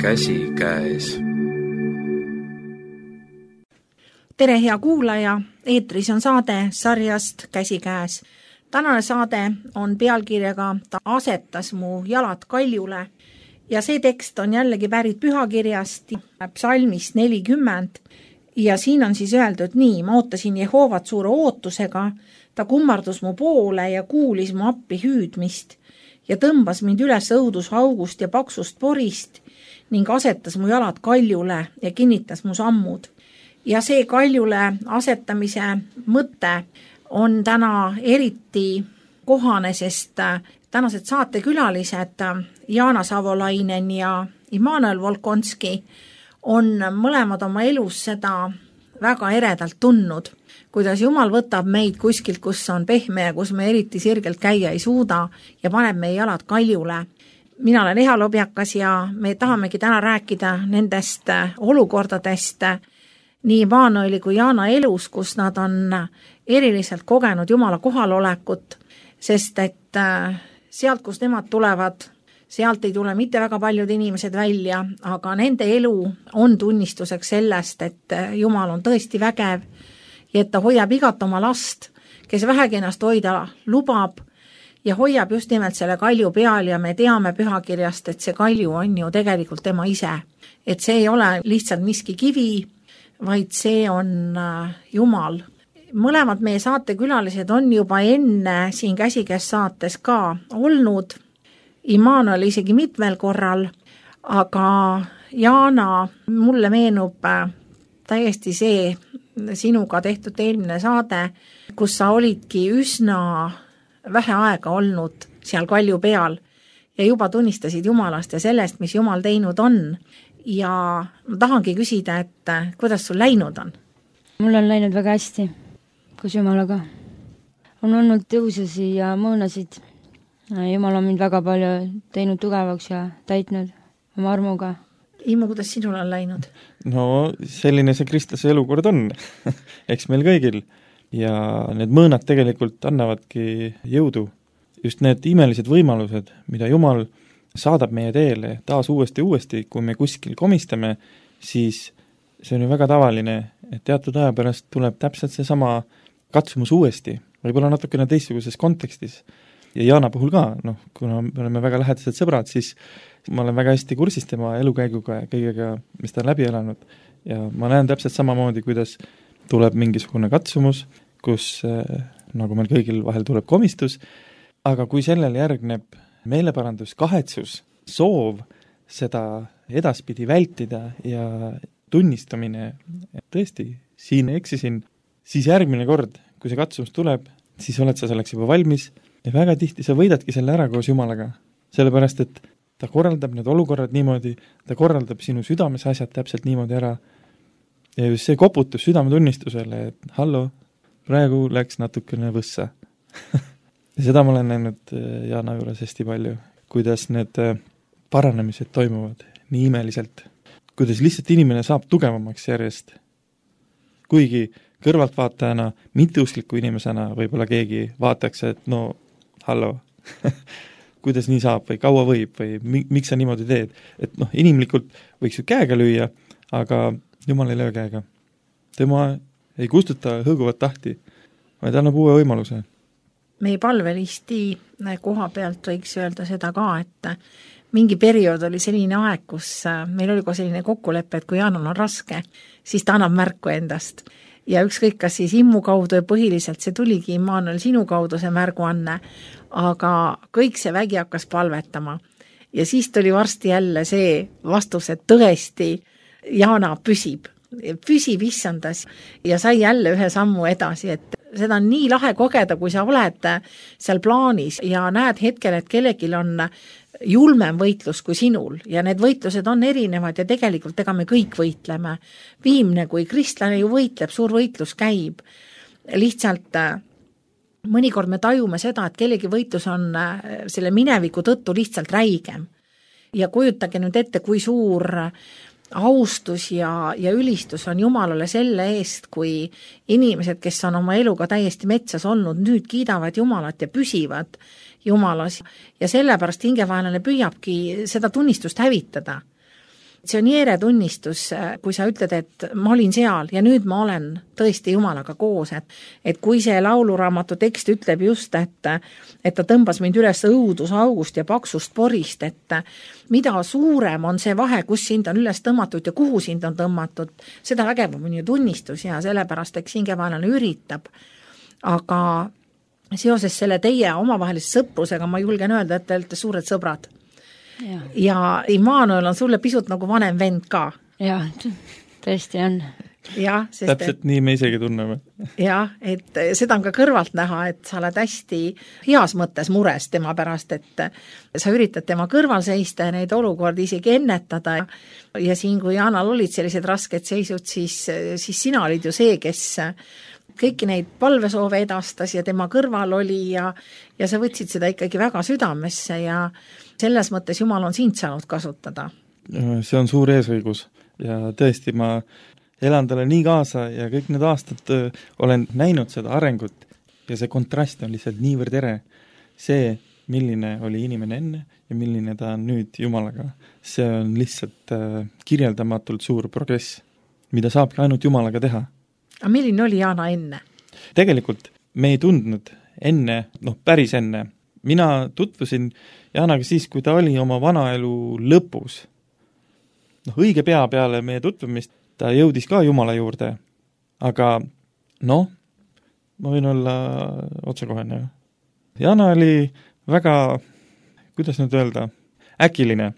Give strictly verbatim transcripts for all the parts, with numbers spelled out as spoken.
käsikäes. Tere, hea kuulaja! Eetris on saade sarjast Käsikäes. Tänane saade on pealkirjaga Ta asetas mu jalad kaljule ja see tekst on jällegi pärit pühakirjast, psalmist nelikümmend ja siin on siis öeldud nii: ma ootasin Jehoovat suure ootusega, ta kummardus mu poole ja kuulis mu appi hüüdmist ja tõmbas mind üles õudusaugust ja paksust porist ning asetas mu jalad kaljule ja kinnitas mu sammud. Ja see kaljule asetamise mõte on täna eriti kohane, sest tänased saatekülalised Jaana Savolainen ja Immanuel Volkonski on mõlemad oma elus seda väga eredalt tundnud, kuidas Jumal võtab meid kuskilt, kus on pehme ja kus me eriti sirgelt käia ei suuda ja paneb meie jalad kaljule. Mina olen Eha Lobjakas ja me tahamegi täna rääkida nendest olukordadest nii Immanueli kui Jaana elus, kus nad on eriliselt kogenud Jumala kohalolekut, sest et sealt, kus nemad tulevad, sealt ei tule mitte väga paljud inimesed välja, aga nende elu on tunnistuseks sellest, et Jumal on tõesti vägev ja et ta hoiab igat oma last, kes vähegi ennast hoida lubab ja hoiab just nimelt selle kalju peal ja me teame pühakirjast, et see kalju on ju tegelikult tema ise. Et see ei ole lihtsalt miski kivi, vaid see on Jumal. Mõlemad meie saatekülalised on juba enne siin Käsikäes saates ka olnud, Immanuel isegi mitmel korral, aga Jaana, mulle meenub täiesti see sinuga tehtud eelmine saade, kus sa olidki üsna vähe aega olnud seal kalju peal ja juba tunnistasid Jumalast ja sellest, mis Jumal teinud on. Ja ma tahangi küsida, et kuidas sul läinud on? Mul on läinud väga hästi, kus Jumalaga. On olnud tõususi ja mõõnasid. Jumal on mind väga palju teinud tugevaks ja täitnud oma armuga. Immo, kuidas sinul on läinud? No selline see kristlase elukord on, eks meil kõigil. Ja need mõõnad tegelikult annavadki jõudu. Just need imelised võimalused, mida Jumal saadab meie teele taas uuesti uuesti, kui me kuskil komistame, siis see on ju väga tavaline, et teatud aja pärast tuleb täpselt see sama katsumus uuesti, võib-olla natukene teistsuguses kontekstis. Ja Jaana puhul ka, noh, kuna me oleme väga lähedased sõbrad, siis ma olen väga hästi kursis tema elukäiguga ja kõigega, mis ta on läbi elanud. Ja ma näen täpselt samamoodi, kuidas tuleb mingisugune katsumus, kus nagu meil kõigil vahel tuleb komistus, aga kui sellel järgneb meeleparandus, kahetsus, soov seda edaspidi vältida ja tunnistamine, et tõesti, siin eksisin, siis järgmine kord, kui see katsumus tuleb, siis oled sa selleks juba valmis ja väga tihti sa võidadki selle ära koos Jumalaga, sellepärast et ta korraldab need olukorrad niimoodi, ta korraldab sinu südames asjad täpselt niimoodi ära ja just see koputus südametunnistusele, et hallo, praegu läks natukene võssa. Ja seda ma olen näinud Jaana juures hästi palju, kuidas need paranemised toimuvad nii imeliselt, kuidas lihtsalt inimene saab tugevamaks järjest. Kuigi kõrvaltvaatajana, mitteuskliku inimesena võib-olla keegi vaataks, et no hallo, kuidas nii saab või kaua võib või miks sa niimoodi teed. Et noh, inimlikult võiks ju käega lüüa, aga Jumal ei löö käega. Tema ei kustuta hõõguvat tahti, vaid annab uue võimaluse. Meie palvelisti koha pealt võiks öelda seda ka, et mingi periood oli selline aeg, kus meil oli ka selline kokkulepe, et kui Jaanal on raske, siis ta annab märku endast. Ja ükskõik, kas siis Immu kaudu ja põhiliselt see tuligi Immanuel sinu kaudu see märguanne, aga kõik see vägi hakkas palvetama. Ja siis tuli varsti jälle see vastus, et tõesti Jaana püsib, püsib issandas ja sai jälle ühe sammu edasi, et seda on nii lahe kogeda, kui sa oled seal plaanis ja näed hetkel, et kellegil on julmem võitlus kui sinul ja need võitlused on erinevad ja tegelikult ega me kõik võitleme. Viimne, kui kristlane ju võitleb, suur võitlus käib. Lihtsalt mõnikord me tajume seda, et kellegi võitlus on selle mineviku tõttu lihtsalt räigem. Ja kujutage nüüd ette, kui suur austus ja, ja ülistus on Jumalale selle eest, kui inimesed, kes on oma eluga täiesti metsas olnud, nüüd kiidavad Jumalat ja püsivad Jumalas ja sellepärast hingevaenlane püüabki seda tunnistust hävitada. see on jeere tunnistus, kui sa ütled, et ma olin seal ja nüüd ma olen tõesti Jumalaga koos, et, et kui see lauluraamatu tekst ütleb just, et, et ta tõmbas mind üles õudusaugust ja paksust porist, et mida suurem on see vahe, kus sind on üles tõmmatud ja kuhu sind on tõmmatud, seda vägevam on ju tunnistus ja sellepärast eks hingevaenlane üritab. Aga seoses selle teie omavahelise sõprusega ma julgen öelda, et te olete suured sõbrad. Ja, ja Immanuel on sulle pisut nagu vanem vend ka. Jah, tõesti on. Ja, sest, täpselt et, nii me isegi tunneme. Jah, et seda on ka kõrvalt näha, et sa oled hästi heas mõttes mures tema pärast, et sa üritad tema kõrval seista ja neid olukordi isegi ennetada. Ja siin, kui Jaanal olid sellised rasked seisud, siis, siis sina olid ju see, kes kõiki neid palvesoove edastas ja tema kõrval oli ja, ja sa võtsid seda ikkagi väga südamesse ja selles mõttes Jumal on sind saanud kasutada. See on suur eesõigus ja tõesti ma elan talle nii kaasa ja kõik need aastad olen näinud seda arengut ja see kontrast on lihtsalt niivõrd ere. See, milline oli inimene enne ja milline ta on nüüd Jumalaga, see on lihtsalt kirjeldamatult suur progress, mida saabki ainult Jumalaga teha. Aga milline oli Jaana enne? Tegelikult me ei tundnud enne, noh päris enne. Mina tutvusin Jaanaga siis, kui ta oli oma vanaelu lõpus. Noh, õige pea peale meie tutvumist ta jõudis ka Jumala juurde. Aga noh, ma võin olla otsekohene. Jaana oli väga, kuidas nüüd öelda, äkiline.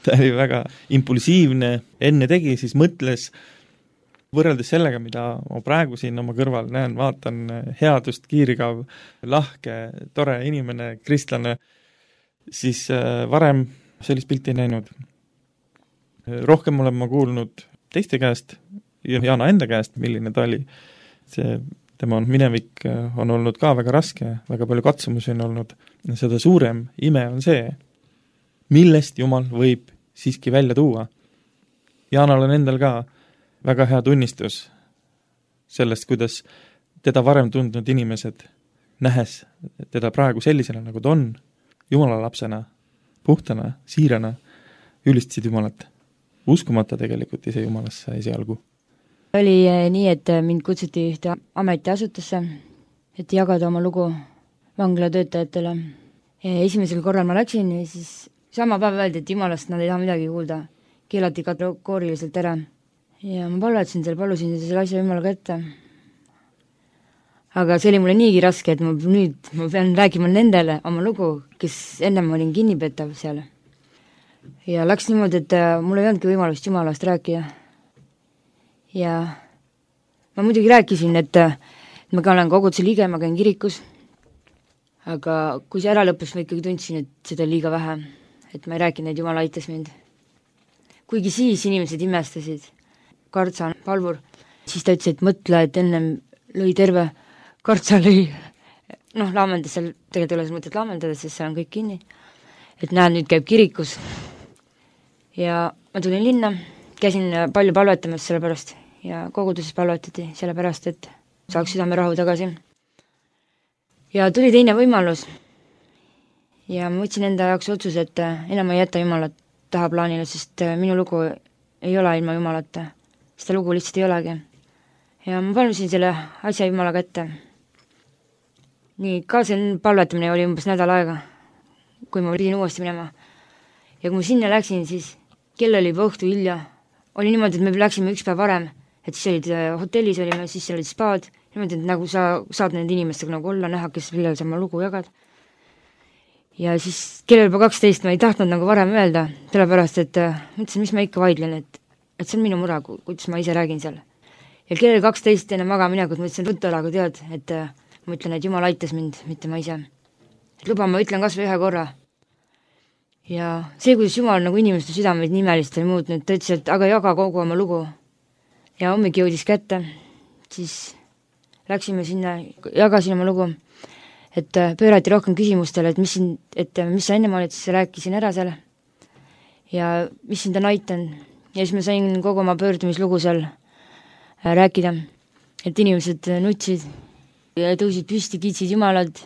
Ta oli väga impulsiivne, enne tegi, siis mõtles võrreldes sellega, mida ma praegu siin oma kõrval näen, vaatan headust, kiirigav, lahke, tore inimene, kristlane, siis varem sellist pilti ei näinud. Rohkem olen ma kuulnud teiste käest ja Jaana enda käest, milline ta oli. See, tema minevik on olnud ka väga raske, väga palju katsumusi on olnud. Seda suurem ime on see, millest Jumal võib siiski välja tuua. Jaanal on endal ka väga hea tunnistus sellest, kuidas teda varem tundnud inimesed, nähes teda praegu sellisena, nagu ta on, Jumala lapsena, puhtana, siirana, ülistasid Jumalat, uskumata tegelikult ise Jumalasse esialgu. Oli nii, et mind kutsuti ühte ametiasutusse, et jagada oma lugu vanglatöötajatele. Esimesel korral ma läksin ja siis sama päev öeldi, et Jumalast nad ei taha midagi kuulda, keelati kategooriliselt ära. Ja ma palvetasin selle, palusin selle asja Jumalaga ette. Aga see oli mulle niigi raske, et ma nüüd ma pean rääkima nendele oma lugu, kes ennem olin kinnipetav seal. Ja läks niimoodi, et mul ei olnudki võimalust Jumalast rääkida. Ja ma muidugi rääkisin, et ma ka olen koguduse liige, ma käin kirikus. Aga kui see ära lõppes, ma ikkagi tundsin, et seda liiga vähe, et ma ei rääkinud, et Jumal aitas mind. Kuigi siis inimesed imestasid. Kartsa palvur, siis ta ütles, et mõtle, et ennem lõi terve Kartsa lõi, noh, laamendas seal, tegelikult ei ole mõtet laamendada, sest seal on kõik kinni, et näed, nüüd käib kirikus ja ma tulin linna, käisin palju palvetamas selle pärast ja koguduses palvetati selle pärast, et saaks südame rahu tagasi ja tuli teine võimalus ja ma võtsin enda jaoks otsuse, et enam ei jäta Jumalat taha plaanile, sest minu lugu ei ole ilma Jumalata. Seda lugu lihtsalt ei olegi. Ja ma palvisin selle asja Jumalaga ette. Nii, ka see palvetamine oli umbes nädal aega, kui ma pidin uuesti minema. Ja kui ma sinna läksin, siis kell oli juba õhtu hilja. Oli niimoodi, et me läksime üks päev varem, et siis olid hotellis olime, siis olid spaad, niimoodi, et nagu sa saad nende inimestega nagu olla, näha, kes millal sa oma lugu jagad. Ja siis kell oli juba kaksteist, ma ei tahtnud nagu varem öelda, sellepärast, et mõtlesin, mis ma ikka vaidlen, et et see on minu mure, kuidas ma ise räägin seal. Ja kell oli kaksteist enne magaminekut, ma ütlesin rutalaga tead, et ma ütlen, et Jumal aitas mind, mitte ma ise. Et luba, ma ütlen kas või ühe korra. Ja see, kuidas Jumal nagu inimeste südameid nimelist oli muutnud, ta ütles, et aga jaga kogu oma lugu. Ja hommik jõudis kätte, siis läksime sinna, jagasin oma lugu, et pöörati rohkem küsimustele, et mis, siin, et mis sa enne olid, siis rääkisin ära seal. Ja mis sind on aitanud. Ja siis ma sain kogu oma pöördumislugu seal rääkida, et inimesed nutsid ja tõusid püsti, kiitsid Jumalad,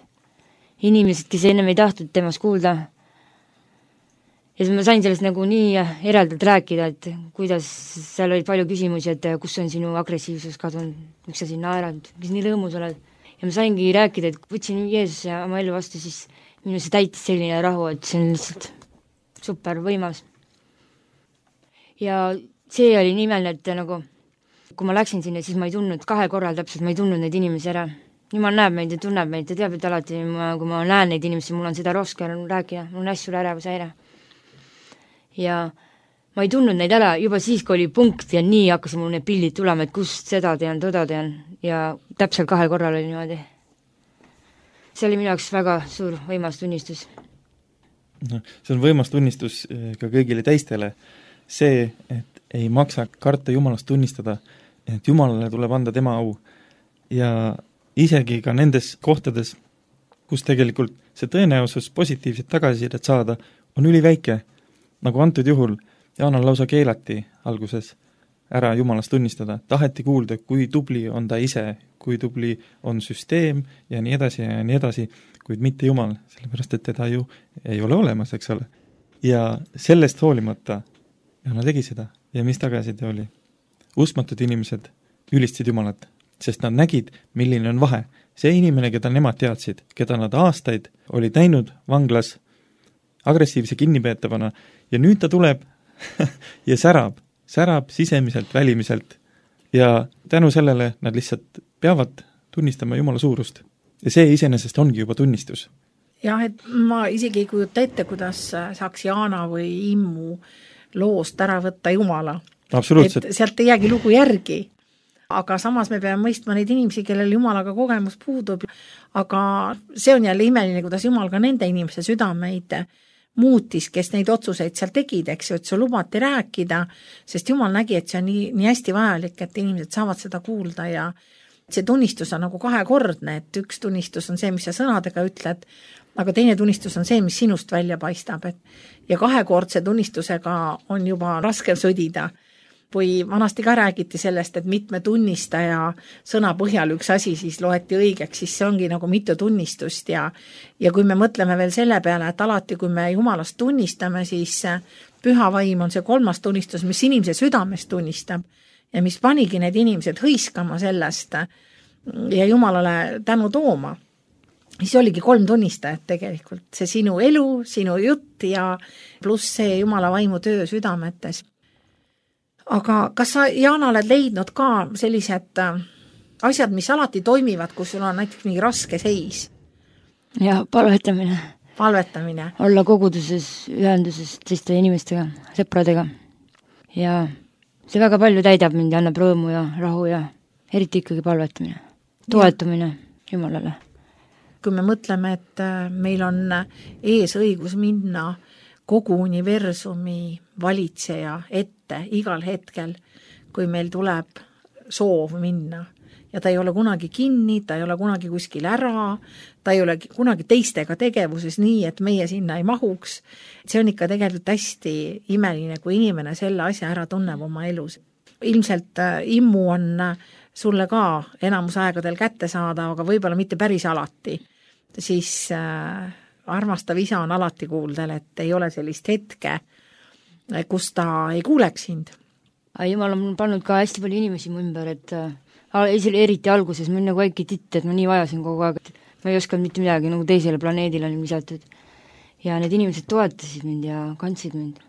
inimesed, kes ennem ei tahtnud temast kuulda. ja siis ma sain sellest nagu nii eraldalt rääkida, et kuidas seal olid palju küsimusi, et kus on sinu agressiivsus kadunud, miks sa siin naerad, mis nii lõõmus oled. Ja ma saingi rääkida, et võtsin Jeesuse oma elu vastu, siis minu see täitis selline rahu, et see on lihtsalt super võimas. Ja see oli nii imeline, et nagu kui ma läksin sinna, siis ma ei tundnud kahe korral täpselt, ma ei tundnud neid inimesi ära. Jumal näeb meid ja tunneb meid ja teab, et alati, ma, kui ma näen neid inimesi, mul on seda roske rääkida, mul on hästi ärevusehäire. Ja ma ei tundnud neid ära juba siis, kui oli punkt ja nii hakkasid mul need pildid tulema, et kust seda tean, toda tean ja täpselt kahe korral oli niimoodi. See oli minu jaoks väga suur võimas tunnistus. No, see on võimas tunnistus ka kõigile teistele. See, et ei maksa karta Jumalast tunnistada, et Jumalale tuleb anda tema au. Ja isegi ka nendes kohtades, kus tegelikult see tõenäosus positiivset tagasisidet saada, on üliväike. Nagu antud juhul Jaanal lausa keelati alguses ära Jumalast tunnistada. Taheti kuulda, kui tubli on ta ise, kui tubli on süsteem ja nii edasi ja nii edasi, kuid mitte Jumal, sellepärast et teda ju ei ole olemas, eks ole. Ja sellest hoolimata Jaana tegi seda ja mis tagasiside oli? Uskmatud inimesed ülistasid Jumalat, sest nad nägid, milline on vahe. See inimene, keda nemad teadsid, keda nad aastaid olid näinud vanglas agressiivse kinnipeetavana ja nüüd ta tuleb ja särab, särab sisemiselt, välimiselt ja tänu sellele nad lihtsalt peavad tunnistama Jumala suurust. Ja see iseenesest ongi juba tunnistus. Jah, et ma isegi ei kujuta ette, kuidas saaks Jaana või Immu loost ära võtta Jumala. Absoluutselt. Et sealt ei jäägi lugu järgi. Aga samas me peame mõistma neid inimesi, kellel Jumalaga kogemus puudub. Aga see on jälle imeline, kuidas Jumal ka nende inimese südameid muutis, kes neid otsuseid seal tegid, eks ju, et see lubati rääkida, sest Jumal nägi, et see on nii, nii hästi vajalik, et inimesed saavad seda kuulda ja see tunnistus on nagu kahekordne, et üks tunnistus on see, mis sa sõnadega ütled, aga teine tunnistus on see, mis sinust välja paistab, et ja kahekordse tunnistusega on juba raske sõdida. Või vanasti ka räägiti sellest, et mitme tunnistaja sõna põhjal üks asi siis loeti õigeks, siis see ongi nagu mitu tunnistust ja, ja kui me mõtleme veel selle peale, et alati kui me Jumalast tunnistame, siis püha vaim on see kolmas tunnistus, mis inimese südames tunnistab ja mis panigi need inimesed hõiskama sellest ja Jumalale tänu tooma. Siis oligi kolm tunnistajat tegelikult, see sinu elu, sinu jutt ja pluss see Jumala vaimu töö südametes. Aga kas sa, Jaana, oled leidnud ka sellised asjad, mis alati toimivad, kus sul on näiteks mingi raske seis? Ja palvetamine. Palvetamine. Olla koguduses, ühenduses teiste inimestega, sõpradega. Ja see väga palju täidab mind ja annab rõõmu ja rahu ja eriti ikkagi palvetamine. Toetumine Jumalale. Kui me mõtleme, et meil on ees õigus minna kogu universumi valitseja ette igal hetkel, kui meil tuleb soov minna. Ja ta ei ole kunagi kinni, ta ei ole kunagi kuskil ära, ta ei ole kunagi teistega tegevuses nii, et meie sinna ei mahuks. See on ikka tegelikult hästi imeline, kui inimene selle asja ära tunneb oma elus. Ilmselt immu on sulle ka enamus aegadel kätte saada, aga võib-olla mitte päris alati. Siis äh, armastav isa on alati kuuldel, et ei ole sellist hetke, kus ta ei kuuleks sind. Jumal on pannud ka hästi palju inimesi mu ümber, et eriti alguses ma nagu väike titt, et ma nii vajasin kogu aeg, et ma ei oskanud mitte midagi, nagu teisele planeedile olin lisatud. Ja need inimesed toetasid mind ja kandsid mind.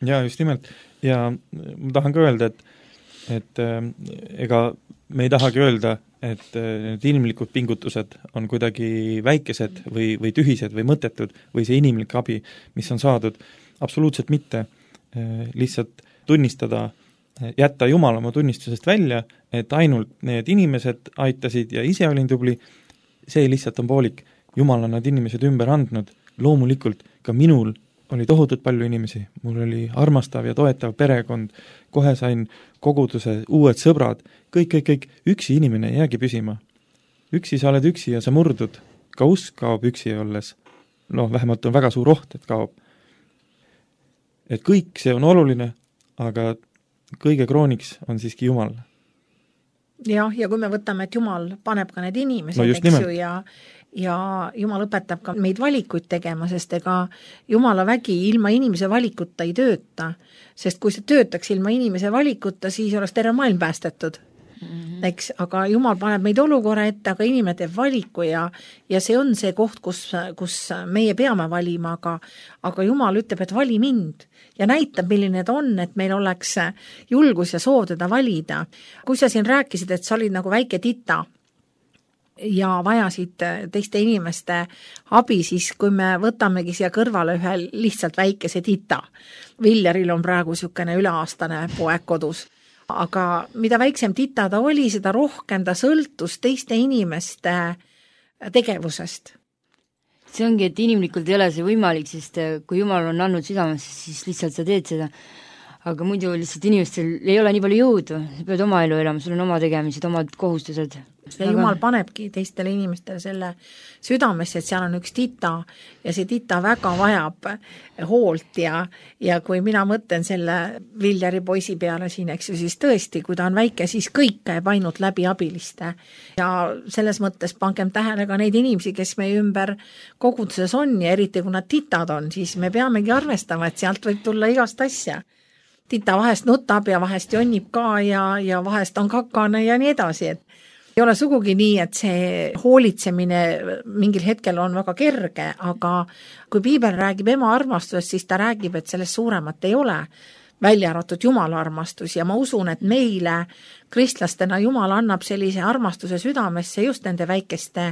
Ja just nimelt. Ja ma tahan ka öelda, et, et äh, ega me ei tahagi öelda, et need ilmlikud pingutused on kuidagi väikesed või, või tühised või mõttetud või see inimlik abi, mis on saadud, absoluutselt mitte. Lihtsalt tunnistada, jätta Jumal oma tunnistusest välja, et ainult need inimesed aitasid ja ise olin tubli, see lihtsalt on poolik. Jumal on need inimesed ümber andnud, loomulikult ka minul oli tohutult palju inimesi, mul oli armastav ja toetav perekond, kohe sain koguduse, uued sõbrad, kõik, kõik, kõik, üksi inimene ei jäägi püsima. Üksi sa oled üksi ja sa murdud, ka usk kaob üksi olles. Noh, vähemalt on väga suur oht, et kaob. Et kõik see on oluline, aga kõige krooniks on siiski Jumal. Jah, ja kui me võtame, et Jumal paneb ka need inimesed, no eks ju, ja ja Jumal õpetab ka meid valikuid tegema, sest ega Jumala vägi ilma inimese valikuta ei tööta, sest kui see töötaks ilma inimese valikuta, siis oleks terve maailm päästetud. Mm-hmm. Eks, aga Jumal paneb meid olukorra ette, aga inimene teeb valiku ja, ja see on see koht, kus, kus meie peame valima, aga, aga Jumal ütleb, et vali mind ja näitab, milline ta on, et meil oleks julgus ja soov teda valida. Kui sa siin rääkisid, et sa olid nagu väike tita ja vajasid teiste inimeste abi, siis kui me võtamegi siia kõrvale ühe lihtsalt väikese tita, Viljaril on praegu niisugune üleaastane poeg kodus, aga mida väiksem tita ta oli, seda rohkem ta sõltus teiste inimeste tegevusest. See ongi, et inimlikult ei ole see võimalik, sest kui Jumal on andnud südamesse, siis lihtsalt sa teed seda. Aga muidu lihtsalt inimestel ei ole nii palju jõudu, sa pead oma elu elama, sul on oma tegemised, omad kohustused. Ja Jumal panebki teistele inimestele selle südamesse, et seal on üks tita ja see tita väga vajab hoolt ja, ja kui mina mõtlen selle Viljari poisi peale siin, eks ju, siis tõesti, kui ta on väike, siis kõik käib ainult läbi abiliste ja selles mõttes pangem tähele ka neid inimesi, kes meie ümber koguduses on ja eriti kui nad titad on, siis me peamegi arvestama, et sealt võib tulla igast asja. Tita vahest nutab ja vahest jonnib ka ja, ja vahest on kakane ja nii edasi, et ei ole sugugi nii, et see hoolitsemine mingil hetkel on väga kerge, aga kui Piibel räägib ema armastusest, siis ta räägib, et sellest suuremat ei ole, välja arvatud Jumala armastus ja ma usun, et meile kristlastena Jumal annab sellise armastuse südamesse just nende väikeste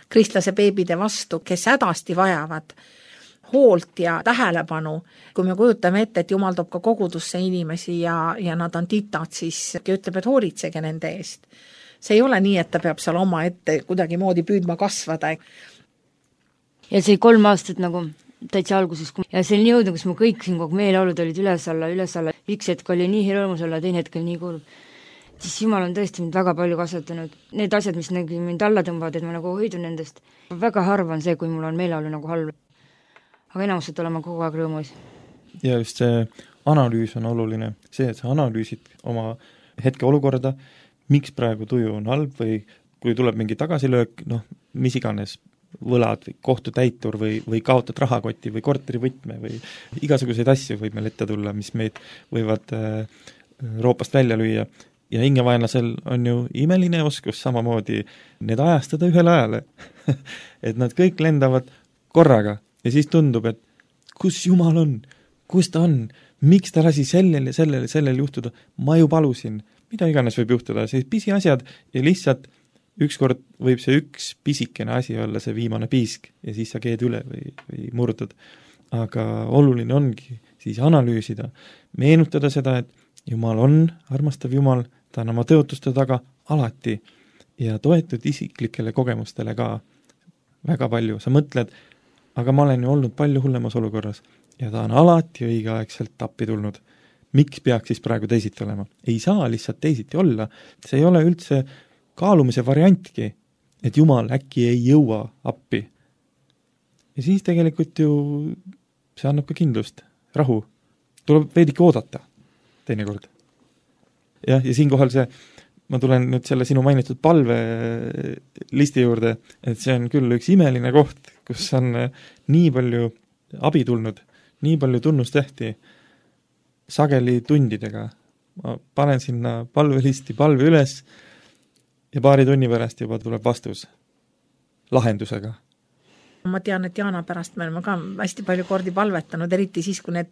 kristlase beebide vastu, kes hädasti vajavad hoolt ja tähelepanu. Kui me kujutame ette, et Jumal toob ka kogudusse inimesi ja, ja nad on titad, siis ütleb, et hoolitsege nende eest. See ei ole nii, et ta peab seal oma ette kuidagi moodi püüdma kasvada. Ja see kolm aastat nagu täitsa alguses ja see on jõudnud, kus mu kõik siin kogu meeleolud olid üles alla, üles alla. Üks hetk oli nii hirmus olla, teine hetk oli nii kurb. Siis Jumal on tõesti mind väga palju kasvatanud. Need asjad, mis nagu mind alla tõmbavad, et ma nagu hoidun nendest. Väga harva on see, kui mul on meeleolu nagu halb. Aga enamuselt olema kogu aeg rõõmus. Ja just see analüüs on oluline. See, et sa analüüsid oma hetke olukorda, miks praegu tuju on halb või kui tuleb mingi tagasilöök, noh, mis iganes võlad või kohtutäitur või, või kaotad rahakoti või korterivõtme või igasuguseid asju võib meil ette tulla, mis meid võivad äh, roopast välja lüüa. Ja hingevaenlasel on ju imeline oskus samamoodi need ajastada ühele ajale. Et nad kõik lendavad korraga ja siis tundub, et kus Jumal on, kus ta on, miks ta lasi sellele, sellele, sellele juhtuda, ma ju palusin. Mida iganes võib juhtuda, see pisiasjad ja lihtsalt ükskord võib see üks pisikene asi olla see viimane piisk ja siis sa keed üle või, või murdud. Aga oluline ongi siis analüüsida, meenutada seda, et Jumal on armastav Jumal, ta on oma tõotuste taga alati ja toetud isiklikele kogemustele ka väga palju. Sa mõtled, aga ma olen ju olnud palju hullemas olukorras ja ta on alati õigeaegselt appi tulnud. Miks peaks siis praegu teisiti olema? Ei saa lihtsalt teisiti olla. See ei ole üldse kaalumise variantki, et Jumal äkki ei jõua appi. Ja siis tegelikult ju see annab ka kindlust, rahu. Tuleb veidike oodata teinekord. Ja, ja siinkohal see, ma tulen nüüd selle sinu mainitud palve listi juurde, et see on küll üks imeline koht, kus on nii palju abi tulnud, nii palju tunnustehti, sageli tundidega. Ma panen sinna palvelisti palve üles ja paari tunni pärast juba tuleb vastus lahendusega. Ma tean, et Jaana pärast me oleme ka hästi palju kordi palvetanud, eriti siis, kui need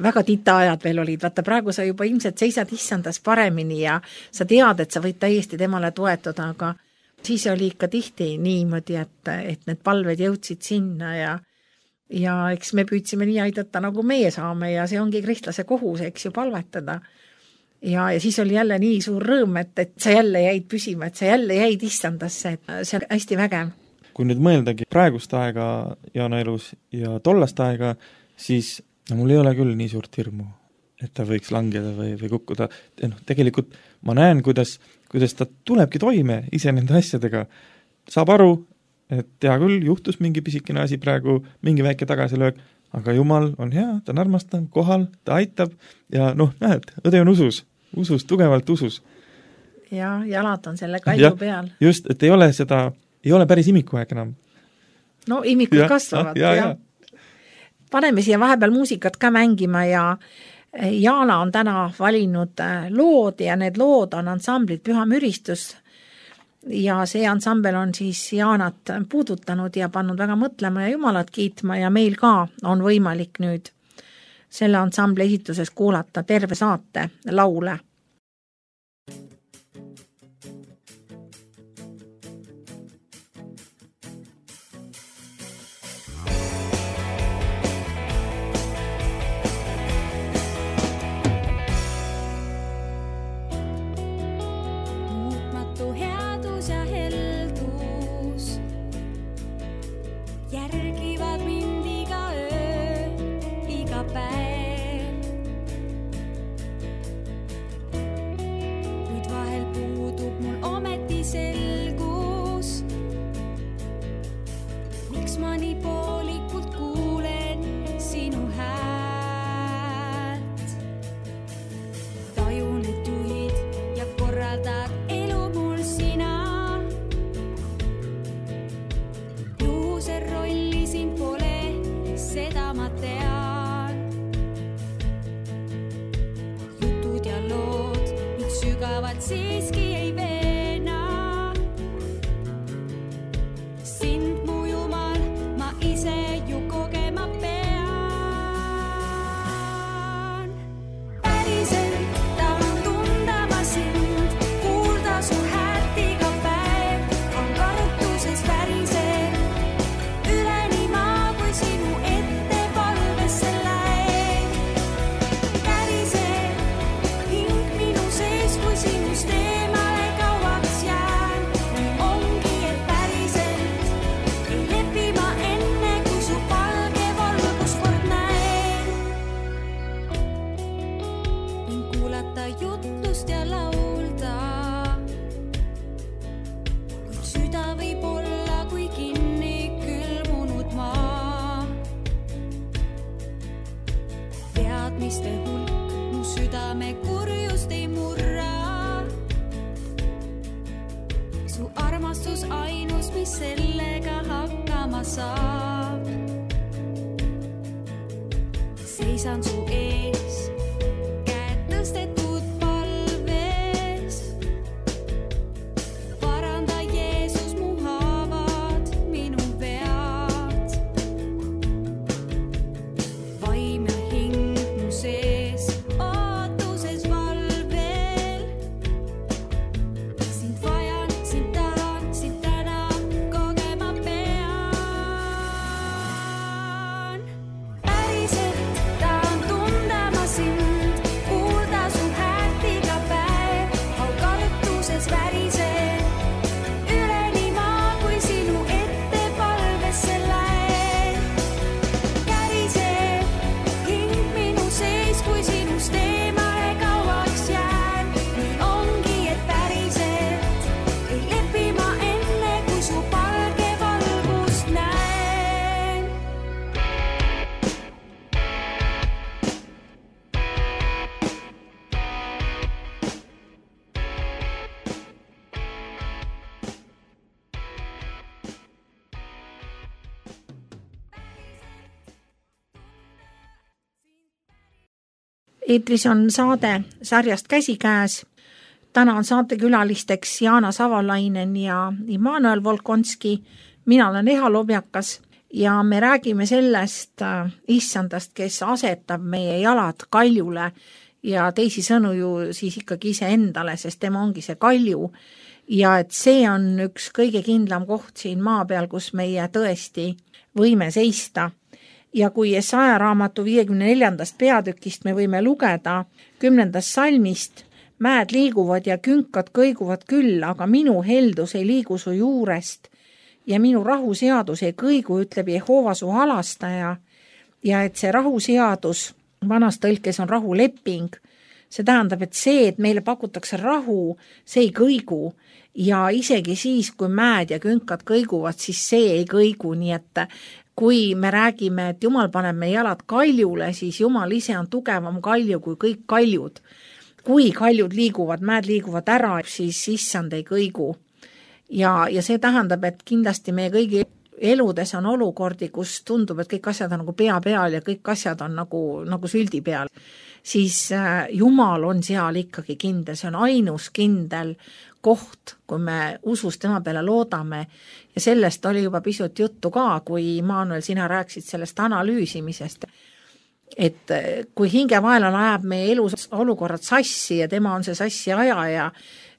väga tita ajad veel olid. Vaata, praegu sa juba ilmselt seisad issandas paremini ja sa tead, et sa võid täiesti temale toetuda, aga siis oli ikka tihti niimoodi, et, et need palved jõudsid sinna ja ja eks me püüdsime nii aidata, nagu meie saame ja see ongi kristlase kohus, eks ju, palvetada. Ja, ja siis oli jälle nii suur rõõm, et, et sa jälle jäid püsima, et sa jälle jäid issandasse, et see on hästi vägev. Kui nüüd mõeldagi praegust aega Jaana elus ja tollast aega, siis no, mul ei ole küll nii suurt hirmu, et ta võiks langeda või, või kukkuda. No, tegelikult ma näen, kuidas, kuidas ta tulebki toime ise nende asjadega. Saab aru, et tea küll, juhtus mingi pisikene asi praegu, mingi väike tagasilöök, aga Jumal on hea, ta on armastav, kohal, ta aitab ja noh, näed, õde on usus, usus, tugevalt usus. Ja jalad on selle kalju ja, peal. Just, et ei ole seda, ei ole päris imikuaeg enam. no imikud ja, kasvavad. Ja, ja. Ja. Paneme siia vahepeal muusikat ka mängima ja Jaana on täna valinud lood ja need lood on ansamblit Püha Müristus ja see ansambel on siis Jaanat puudutanud ja pannud väga mõtlema ja Jumalat kiitma ja meil ka on võimalik nüüd selle ansambli esituses kuulata terve saate laule. Siiski ei veena sind mu Jumal, ma ise ju kogema pean. Päriselt tahan tunda ma sind, kuulda su häält iga päev, on karutuses päriselt üleni maa, kui sinu ette palvesse läheb. Päriselt hing minu sees, kui sinust eemale kauaks jään, nii ongi, et päriselt ei lepi ma enne, kui su palge valgus kord näen. Ning kuulata jutlust ja laulda, kuid süda võib olla kui kinni külmunud maa. Teadmiste hulk mu südame kurjust ei murra. Su armastus ainus, mis sellega hakkama saab. Seisan su ees, käed tõstetud palves. Paranda Jeesus mu haavad, minu vead. Vaim ja hing mu sees, ootuses valvel. Sind vajan, sind tahan, sind täna kogema pean. Päriselt tahan tunda ma sind, kuulda su häält iga päev, au karutuses värised üleni maa, kui sinu ette palvesse läheb. Käriseb hing minu sees, kui sinust eemale kauaks jään, nii ongi, et päriselt ei lepi ma enne, kui su palge valgust näen. Eetris on saade sarjast Käsikäes. Täna on saatekülalisteks Jaana Savalainen ja Immanuel Volkonski. Mina olen Eha Lobjakas ja me räägime sellest äh, issandast, kes asetab meie jalad kaljule ja teisi sõnu ju siis ikkagi ise endale, sest tema ongi see kalju. Ja et see on üks kõige kindlam koht siin maa peal, kus meie tõesti võime seista. Ja kui Jesaja raamatu viiekümne neljandast peatükist me võime lugeda kümnendast salmist, mäed liiguvad ja künkad kõiguvad küll, aga minu heldus ei liigu su juurest ja minu rahuseadus ei kõigu, ütleb Jehova su halastaja. Ja et see rahuseadus vanas tõlkes on rahuleping, see tähendab, et see, et meile pakutakse rahu, see ei kõigu ja isegi siis, kui mäed ja künkad kõiguvad, siis see ei kõigu, nii et kui me räägime, et Jumal paneb meie jalad kaljule, siis Jumal ise on tugevam kalju kui kõik kaljud. Kui kaljud liiguvad, mäed liiguvad ära, siis issand ei kõigu. Ja, ja see tähendab, et kindlasti meie kõigi eludes on olukordi, kus tundub, et kõik asjad on nagu pea peal ja kõik asjad on nagu, nagu süldi peal, siis Jumal on seal ikkagi kindel, see on ainus kindel koht, kui me usus tema peale loodame ja sellest oli juba pisut juttu ka, kui Immanuel, sina rääksid sellest analüüsimisest, et kui hingevaenlane ajab meie elus olukorrad sassi ja tema on see sassi ajaja,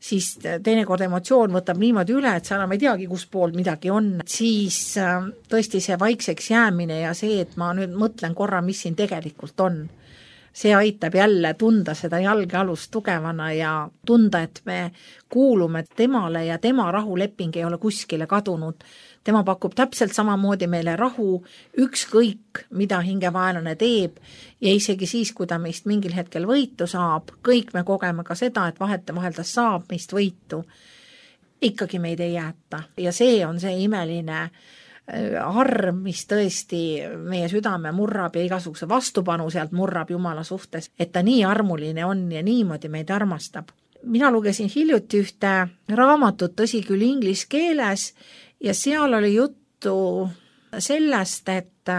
siis teinekord emotsioon võtab niimoodi üle, et sa enam ei teagi, kus pool midagi on. Siis tõesti see vaikseks jäämine ja see, et ma nüüd mõtlen korra, mis siin tegelikult on. See aitab jälle tunda seda jalgealust tugevana ja tunda, et me kuulume temale ja tema rahuleping ei ole kuskile kadunud. Tema pakub täpselt samamoodi meile rahu, ükskõik, mida hingevaenlane teeb ja isegi siis, kui ta meist mingil hetkel võitu saab, kõik me kogeme ka seda, et vahete vahel ta saab meist võitu, ikkagi meid ei jäeta. Ja see on see imeline arm, mis tõesti meie südame murrab ja igasuguse vastupanu sealt murrab Jumala suhtes, et ta nii armuline on ja niimoodi meid armastab. Mina lugesin hiljuti ühte raamatut, tõsi küll inglis keeles, ja seal oli juttu sellest, et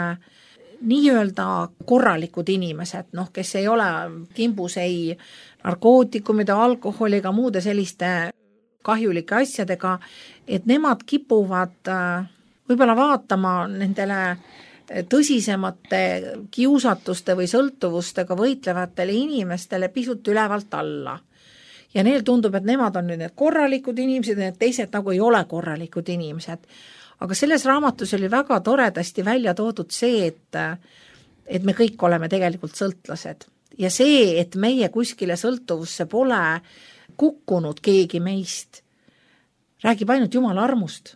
nii-öelda korralikud inimesed, noh, kes ei ole kimbus ei narkootikumide, alkoholiga, muude selliste kahjulike asjadega, et nemad kipuvad võib-olla vaatama nendele tõsisemate kiusatuste või sõltuvustega võitlevatele inimestele pisut ülevalt alla. Ja neil tundub, et nemad on nüüd need korralikud inimesed ja need teised nagu ei ole korralikud inimesed. Aga selles raamatus oli väga toredasti välja toodud see, et, et me kõik oleme tegelikult sõltlased. Ja see, et meie kuskile sõltuvusse pole kukkunud keegi meist, räägib ainult Jumala armust.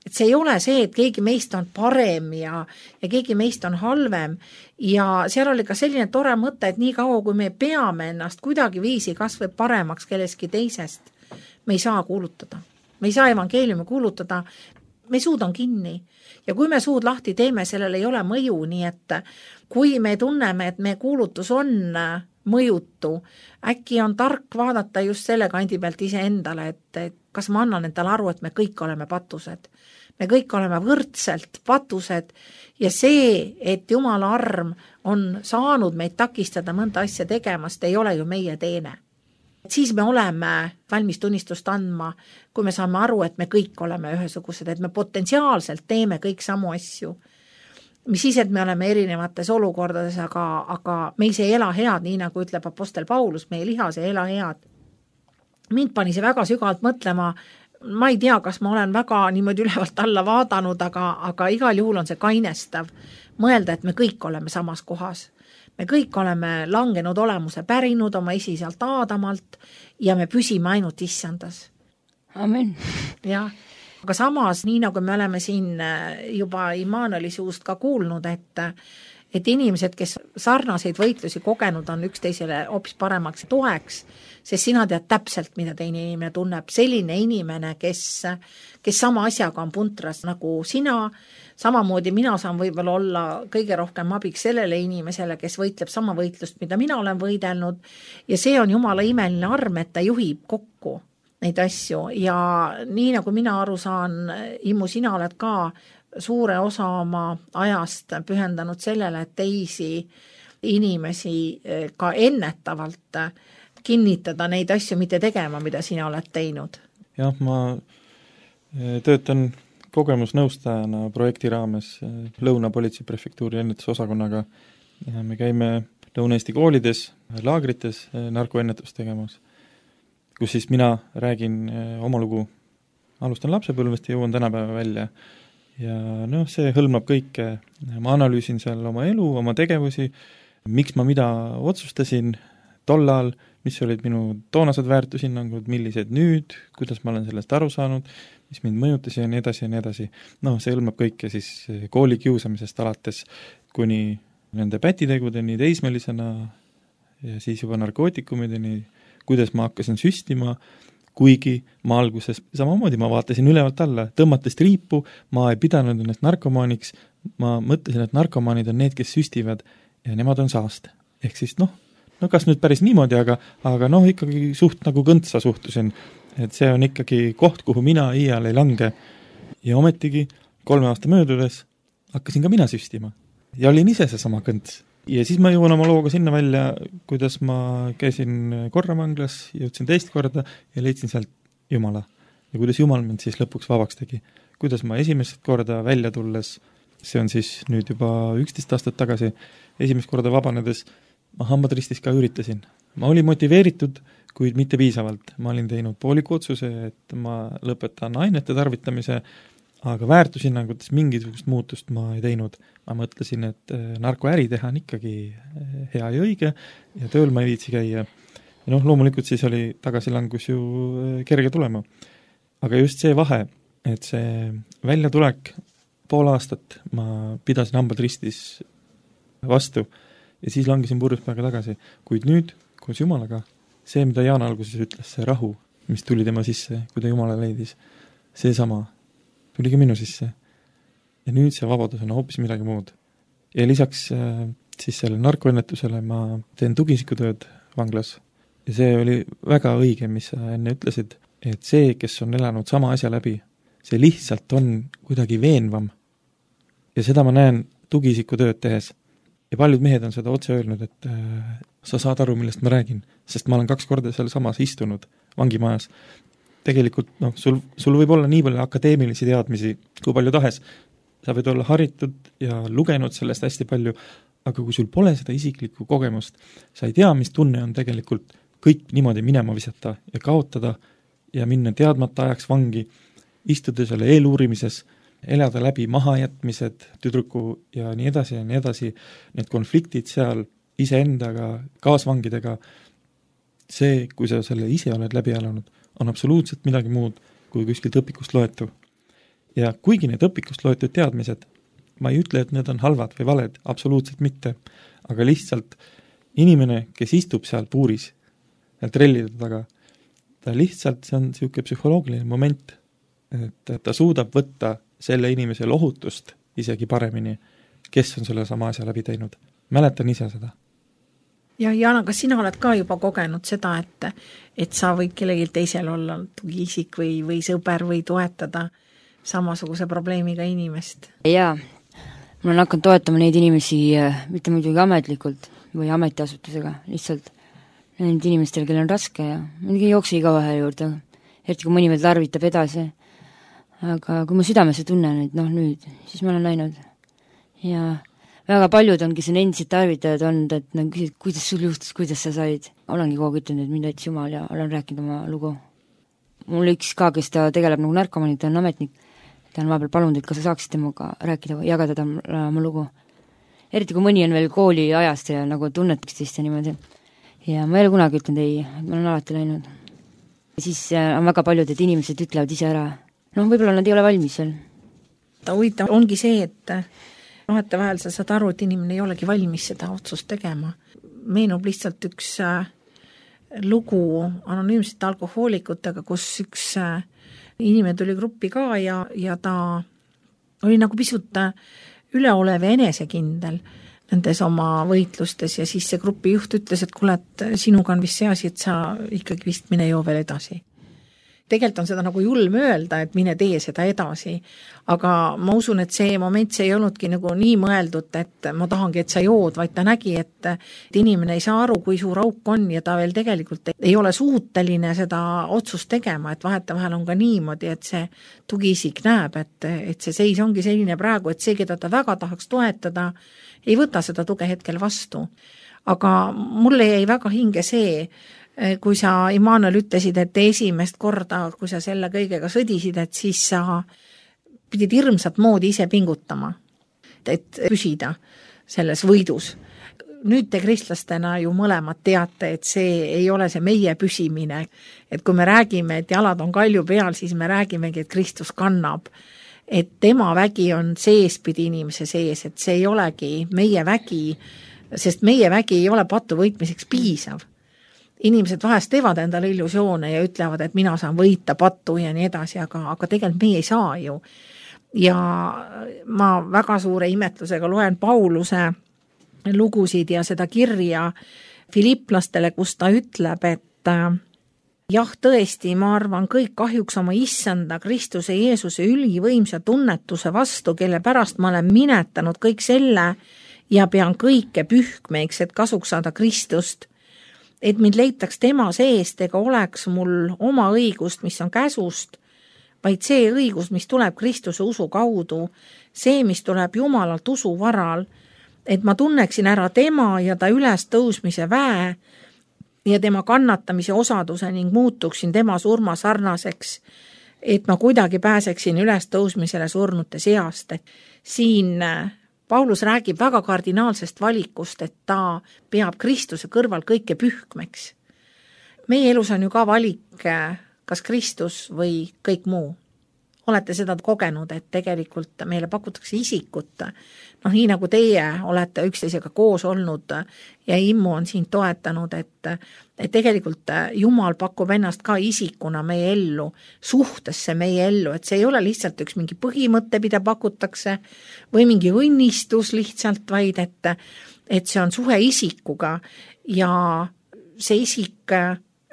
Et see ei ole see, et keegi meist on parem ja, ja keegi meist on halvem ja seal oli ka selline tore mõte, et nii kaua, kui me peame ennast kuidagi viisi kas või paremaks kelleski teisest, me ei saa kuulutada. Me ei saa evangeeliumi kuulutada, me suud on kinni ja kui me suud lahti teeme, sellel ei ole mõju, nii et kui me tunneme, et meie kuulutus on mõjutu, äkki on tark vaadata just selle kandi pealt ise endale, et, et kas ma annan endale aru, et me kõik oleme patused. Me kõik oleme võrdselt patused ja see, et Jumala arm on saanud meid takistada mõnda asja tegemast, ei ole ju meie teene. Siis me oleme valmis tunnistust andma, kui me saame aru, et me kõik oleme ühesugused, et me potentsiaalselt teeme kõik samu asju. Mis siis, et me oleme erinevates olukordades, aga, aga meis ei ela head, nii nagu ütleb apostel Paulus, meie lihas ei ela head. Mind pani see väga sügavalt mõtlema, ma ei tea, kas ma olen väga niimoodi ülevalt alla vaadanud, aga, aga igal juhul on see kainestav mõelda, et me kõik oleme samas kohas. Me kõik oleme langenud olemuse pärinud oma esiselt Aadamalt ja me püsime ainult issandas. Amen. Ja, aga samas, nii nagu me oleme siin juba Immanueli suust ka kuulnud, et et inimesed, kes sarnaseid võitlusi kogenud on üksteisele hoopis paremaks toeks, sest sina tead täpselt, mida teine inimene tunneb. Selline inimene, kes, kes sama asjaga on puntras nagu sina, samamoodi mina saan võib-olla olla kõige rohkem abiks sellele inimesele, kes võitleb sama võitlust, mida mina olen võidelnud ja see on Jumala imeline arm, et ta juhib kokku neid asju ja nii nagu mina aru saan, Immu, sina oled ka suure osa oma ajast pühendanud sellele, et teisi inimesi ka ennetavalt kinnitada neid asju, mitte tegema, mida sina oled teinud. Jah, ma töötan kogemusnõustajana projekti raames Lõuna-Politsei prefektuuri ennetusosakonnaga ja me käime Lõuna-Eesti koolides, laagrites narkoennetust tegemas, kus siis mina räägin oma lugu, alustan lapsepõlvest ja jõuan tänapäeva välja. Ja noh, see hõlmab kõike, ma analüüsin seal oma elu, oma tegevusi, miks ma mida otsustasin tollal, mis olid minu toonased väärtushinnangud, millised nüüd, kuidas ma olen sellest aru saanud, mis mind mõjutas ja nii edasi ja nii edasi. Noh, see hõlmab kõike siis kooli kiusamisest alates kuni nende pätitegudeni teismelisena ja siis juba narkootikumideni, kuidas ma hakkasin süstima, kuigi ma alguses samamoodi, ma vaatasin ülevalt alla, tõmmates triipu, ma ei pidanud ennast narkomaaniks, ma mõtlesin, et narkomaanid on need, kes süstivad ja nemad on saaste. Ehk siis noh, no kas nüüd päris niimoodi, aga, aga noh, ikkagi suht nagu kõntsa suhtusin, et see on ikkagi koht, kuhu mina iial ei lange. Ja ometigi kolme aasta möödudes hakkasin ka mina süstima ja olin ise seesama kõnts. Ja siis ma jõuan oma looga sinna välja, kuidas ma käisin korramanglas, jõudsin teist korda ja leidsin sealt Jumala. Ja kuidas Jumal mind siis lõpuks vabaks tegi. Kuidas ma esimest korda välja tulles, see on siis nüüd juba üksteist aastat tagasi, esimest korda vabanedes ma hambad ristis ka üritasin. Ma olin motiveeritud, kuid mitte piisavalt. Ma olin teinud pooliku otsuse, et ma lõpetan ainete tarvitamise, aga väärtushinnangutes mingisugust muutust ma ei teinud. Ma mõtlesin, et narkoäri teha on ikkagi hea ja õige ja tööl ma ei viitsi käia. Ja noh, loomulikult siis oli tagasilangus ju kerge tulema. Aga just see vahe, et see väljatulek pool aastat ma pidasin hambad ristis vastu ja siis langesin purjuspäega tagasi. Kuid nüüd, koos Jumalaga, see, mida Jaan alguses ütles, see rahu, mis tuli tema sisse, kui ta Jumala leidis, see sama tuli ka minu sisse. Ja nüüd see vabadus on hoopis midagi muud. Ja lisaks siis selle narkoennetusele ma teen tugisikutööd vanglas. Ja see oli väga õige, mis sa enne ütlesid, et see, kes on elanud sama asja läbi, see lihtsalt on kuidagi veenvam. Ja seda ma näen tugisikutööd tehes. Ja paljud mehed on seda otse öelnud, et äh, sa saad aru, millest ma räägin, sest ma olen kaks korda seal samas istunud vangimajas. Tegelikult noh, sul, sul võib olla nii palju akadeemilisi teadmisi, kui palju tahes. Sa võid olla haritud ja lugenud sellest hästi palju, aga kui sul pole seda isiklikku kogemust, sa ei tea, mis tunne on tegelikult kõik niimoodi minema visata ja kaotada ja minna teadmata ajaks vangi, istuda selle eeluurimises, elada läbi mahajätmised, tüdruku ja nii edasi ja nii edasi, need konfliktid seal iseendaga, kaasvangidega, see, kui sa selle ise oled läbi elanud, on absoluutselt midagi muud kui kuskilt õpikust loetu. Ja kuigi need õpikust loetud teadmised, ma ei ütle, et need on halvad või valed, absoluutselt mitte, aga lihtsalt inimene, kes istub seal puuris, trellide taga, ta lihtsalt, see on niisugune psühholoogiline moment, et ta suudab võtta selle inimese lohutust isegi paremini, kes on selle sama asja läbi teinud. Mäletan ise seda. Ja Jana, kas sina oled ka juba kogenud seda, et, et sa võid kellegi teisel olla tugiisik või, või sõber või toetada samasuguse probleemiga inimest? Jaa, ma olen hakanud toetama neid inimesi mitte muidugi ametlikult või ametiasutusega, lihtsalt need inimestel, kellel on raske ja mingi jookse iga vahe juurde, eriti kui mõni veel tarvitab edasi. Aga kui ma südamesse tunnen, et noh nüüd, siis ma olen läinud. Ja väga paljud ongi siin endised tarvitajad olnud, et nad küsid, kuidas sul juhtus, kuidas sa said. Olengi kogu ütelnud, et mind aitas Jumal ja olen rääkinud oma lugu. Mul üks ka, kes ta tegeleb nagu narkomanid, ta on ametnik. Ta on vahepeal palunud, et kas sa saaksid temaga rääkida või jagada ta oma lugu. Eriti kui mõni on veel kooli ajast ja nagu tunnetaks teist ja niimoodi. Ja ma ei ole kunagi ütlenud ei, ma olen alati läinud. Ja siis on väga paljud, et inimesed ütlevad ise ära. Noh, võib-olla nad ei ole valmis veel. Ta huvitav ongi see, et nohete vahel sa saad aru, et inimene ei olegi valmis seda otsust tegema. Meenub lihtsalt üks lugu anonüümsete alkohoolikutega, kus üks inimene tuli gruppi ka ja, ja ta oli nagu pisut üleolev ja enesekindel nendes oma võitlustes ja siis see grupi juht ütles, et kuule, et sinuga on vist see asi, et sa ikkagi vist mine joo veel edasi. Tegelikult on seda nagu julm öelda, et mine tee seda edasi, aga ma usun, et see moment see ei olnudki nagu nii mõeldud, et ma tahangi, et sa jood, vaid ta nägi, et, et inimene ei saa aru, kui suur auk on ja ta veel tegelikult ei ole suuteline seda otsust tegema, et vaheta vahel on ka niimoodi, et see tugiisik näeb, et, et see seis ongi selline praegu, et see, keda ta väga tahaks toetada, ei võta seda tuge hetkel vastu. Aga mulle jäi väga hinge see, kui sa, Immanuel, ütlesid, et esimest korda, kui sa selle kõigega sõdisid, et siis sa pidid hirmsat moodi ise pingutama, et püsida selles võidus. Nüüd te kristlastena ju mõlemad teate, et see ei ole see meie püsimine. Et kui me räägime, et jalad on kalju peal, siis me räägimegi, et Kristus kannab. Et tema vägi on seespidi inimese sees, et see ei olegi meie vägi, sest meie vägi ei ole patu võitmiseks piisav. Inimesed vahest teevad endale illusioone ja ütlevad, et mina saan võita pattu ja nii edasi, aga, aga tegelikult meie ei saa ju. Ja ma väga suure imetlusega loen Pauluse lugusid ja seda kirja Filipplastele, kus ta ütleb, et jah, tõesti, ma arvan, kõik kahjuks oma issanda Kristuse Jeesuse ülivõimsa tunnetuse vastu, kelle pärast ma olen minetanud kõik selle ja pean kõike pühkmeiks, et kasuks saada Kristust, et mind leitaks tema seest ega oleks mul oma õigust, mis on käsust, vaid see õigus, mis tuleb Kristuse usu kaudu, see, mis tuleb Jumalalt usu varal, et ma tunneksin ära tema ja ta üles tõusmise väe ja tema kannatamise osaduse ning muutuksin tema surma sarnaseks, et ma kuidagi pääseksin üles tõusmisele surnute seast. Et siin Paulus räägib väga kardinaalsest valikust, et ta peab Kristuse kõrval kõike pühkmeks. Meie elus on ju ka valik, kas Kristus või kõik muu. Olete seda kogenud, et tegelikult meile pakutakse isikut, noh nii nagu teie olete üksteisega koos olnud ja immu on siin toetanud, et, et tegelikult Jumal pakub ennast ka isikuna meie ellu, suhtesse meie ellu, et see ei ole lihtsalt üks mingi põhimõte, mida pakutakse või mingi õnnistus lihtsalt, vaid et, et see on suhe isikuga ja see isik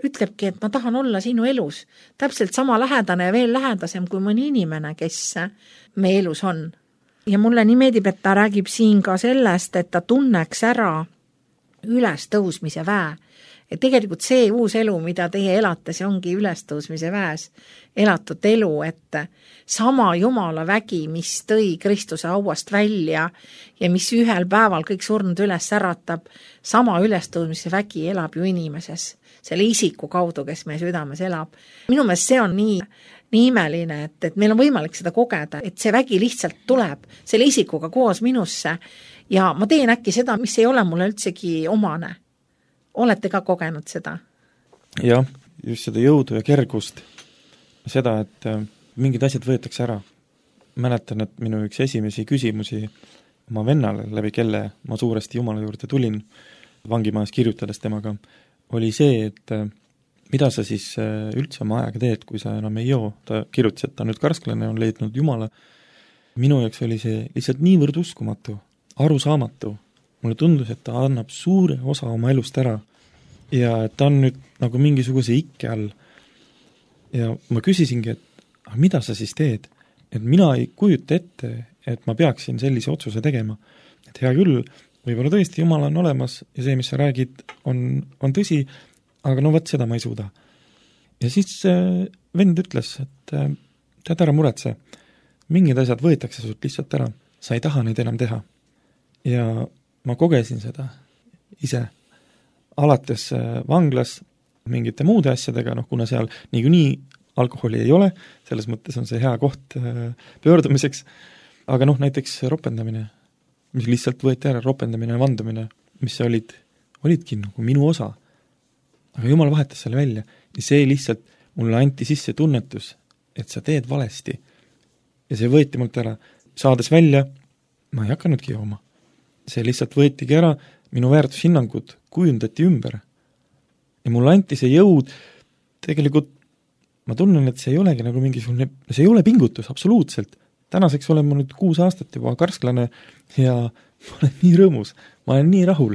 ütlebki, et ma tahan olla sinu elus, täpselt sama lähedane ja veel lähedasem kui mõni inimene, kes meie elus on. Ja mulle nii meeldib, et ta räägib siin ka sellest, et ta tunneks ära ülestõusmise väe. Et tegelikult see uus elu, mida teie elate, see ongi ülestõusmise väes elatud elu, et sama Jumala vägi, mis tõi Kristuse hauast välja ja mis ühel päeval kõik surnud üles äratab, sama ülestõusmise vägi elab ju inimeses, selle isiku kaudu, kes meie südames elab. Minu meelest see on nii, nii imeline, et, et meil on võimalik seda kogeda, et see vägi lihtsalt tuleb selle isikuga koos minusse ja ma teen äkki seda, mis ei ole mulle üldsegi omane. Olete ka kogenud seda? Jah, just seda jõudu ja kergust, seda, et mingid asjad võetakse ära. Mäletan, et minu üks esimesi küsimusi oma vennale, läbi kelle ma suuresti Jumala juurde tulin, vangimajas kirjutades temaga, oli see, et mida sa siis üldse oma ajaga teed, kui sa enam ei joo. Ta kirjutas, et ta nüüd karsklane on leidnud Jumala. Minu jaoks oli see lihtsalt niivõrd uskumatu, arusaamatu. Mulle tundus, et ta annab suure osa oma elust ära ja et ta on nüüd nagu mingisuguse ikke all. Ja ma küsisingi, et mida sa siis teed? Et mina ei kujuta ette, et ma peaksin sellise otsuse tegema. Et hea küll, võib-olla tõesti Jumal on olemas ja see, mis sa räägid, on, on tõsi, aga no võt seda ma ei suuda. Ja siis äh, vend ütles, et äh, tead ära muretse, mingid asjad võetakse sult lihtsalt ära, sa ei taha neid enam teha. Ja ma kogesin seda ise, alates äh, vanglas mingite muude asjadega, noh kuna seal niikuinii alkoholi ei ole, selles mõttes on see hea koht äh, pöördumiseks, aga noh näiteks ropendamine, mis lihtsalt võeti ära, ropendamine ja vandumine, mis olid, olidki nagu minu osa. Aga Jumal vahetas selle välja ja see lihtsalt mulle anti sisse tunnetus, et sa teed valesti. Ja see võeti mult ära. Saades välja, ma ei hakanudki jooma. See lihtsalt võetigi ära, minu väärtushinnangud kujundati ümber. Ja mulle anti see jõud, tegelikult ma tunnen, et see ei olegi nagu mingisugune, see ei ole pingutus, absoluutselt. Tänaseks olen ma nüüd kuus aastat juba karsklane ja ma olen nii rõõmus, ma olen nii rahul.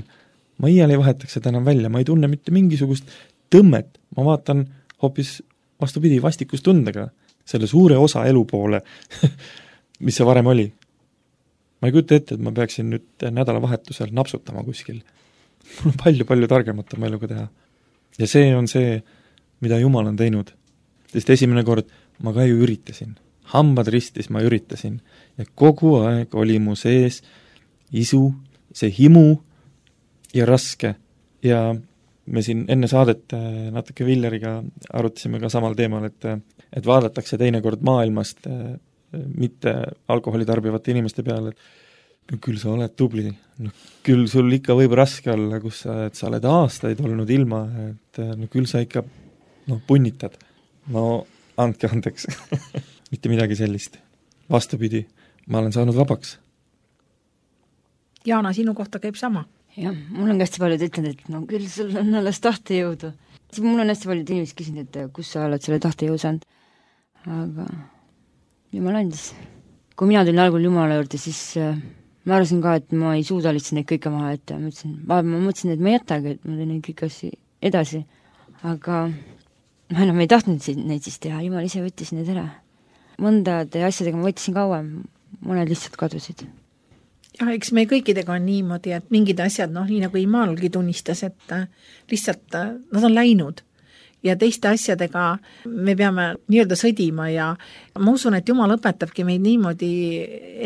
Ma iial ei vahetaks seda enam välja, ma ei tunne mitte mingisugust tõmmet, ma vaatan hoopis vastupidi vastikustundega selle suure osa elu poole, mis see varem oli. Ma ei kujuta ette, et ma peaksin nüüd nädalavahetusel napsutama kuskil. Mul on palju-palju targemat oma eluga teha. Ja see on see, mida Jumal on teinud. Sest esimene kord ma ka ju üritasin. Hambad ristis ma üritasin. Ja kogu aeg oli mu sees isu, see himu ja raske. Ja me siin enne saadet natuke Villeriga arutasime ka samal teemal, et, et vaadatakse teinekord maailmast mitte alkoholi tarbivate inimeste peale, et küll sa oled tubli, no, küll sul ikka võib raske olla, kus sa, et sa oled aastaid olnud ilma, et no, küll sa ikka no, punnitad. No andke andeks. Mitte midagi sellist. Vastupidi, ma olen saanud vabaks. Jaana, sinu kohta käib sama. Jah, mul on hästi paljud ütlenud, et no küll sul on alles tahtejõudu. Mul on hästi paljud inimesed küsinud, et kus sa oled selle tahtejõu saanud. Aga Jumal andis. Kui mina tulin algul Jumala juurde, siis äh, ma arvasin ka, et ma ei suuda lihtsalt neid kõike maha, et ma mõtlesin, ma mõtlesin, et ma ei jätagi, et ma teen neid kõik asju edasi. Aga ma enam ei tahtnud neid siis teha, jumal ise võttis need ära. Mõndade asjadega ma võtsin kauem, mõned lihtsalt kadusid. jah, eks me kõikidega on niimoodi, et mingid asjad, noh, nii nagu Immanuelgi tunnistas, et lihtsalt nad on läinud ja teiste asjadega me peame nii-öelda sõdima ja ma usun, et Jumal õpetabki meid niimoodi,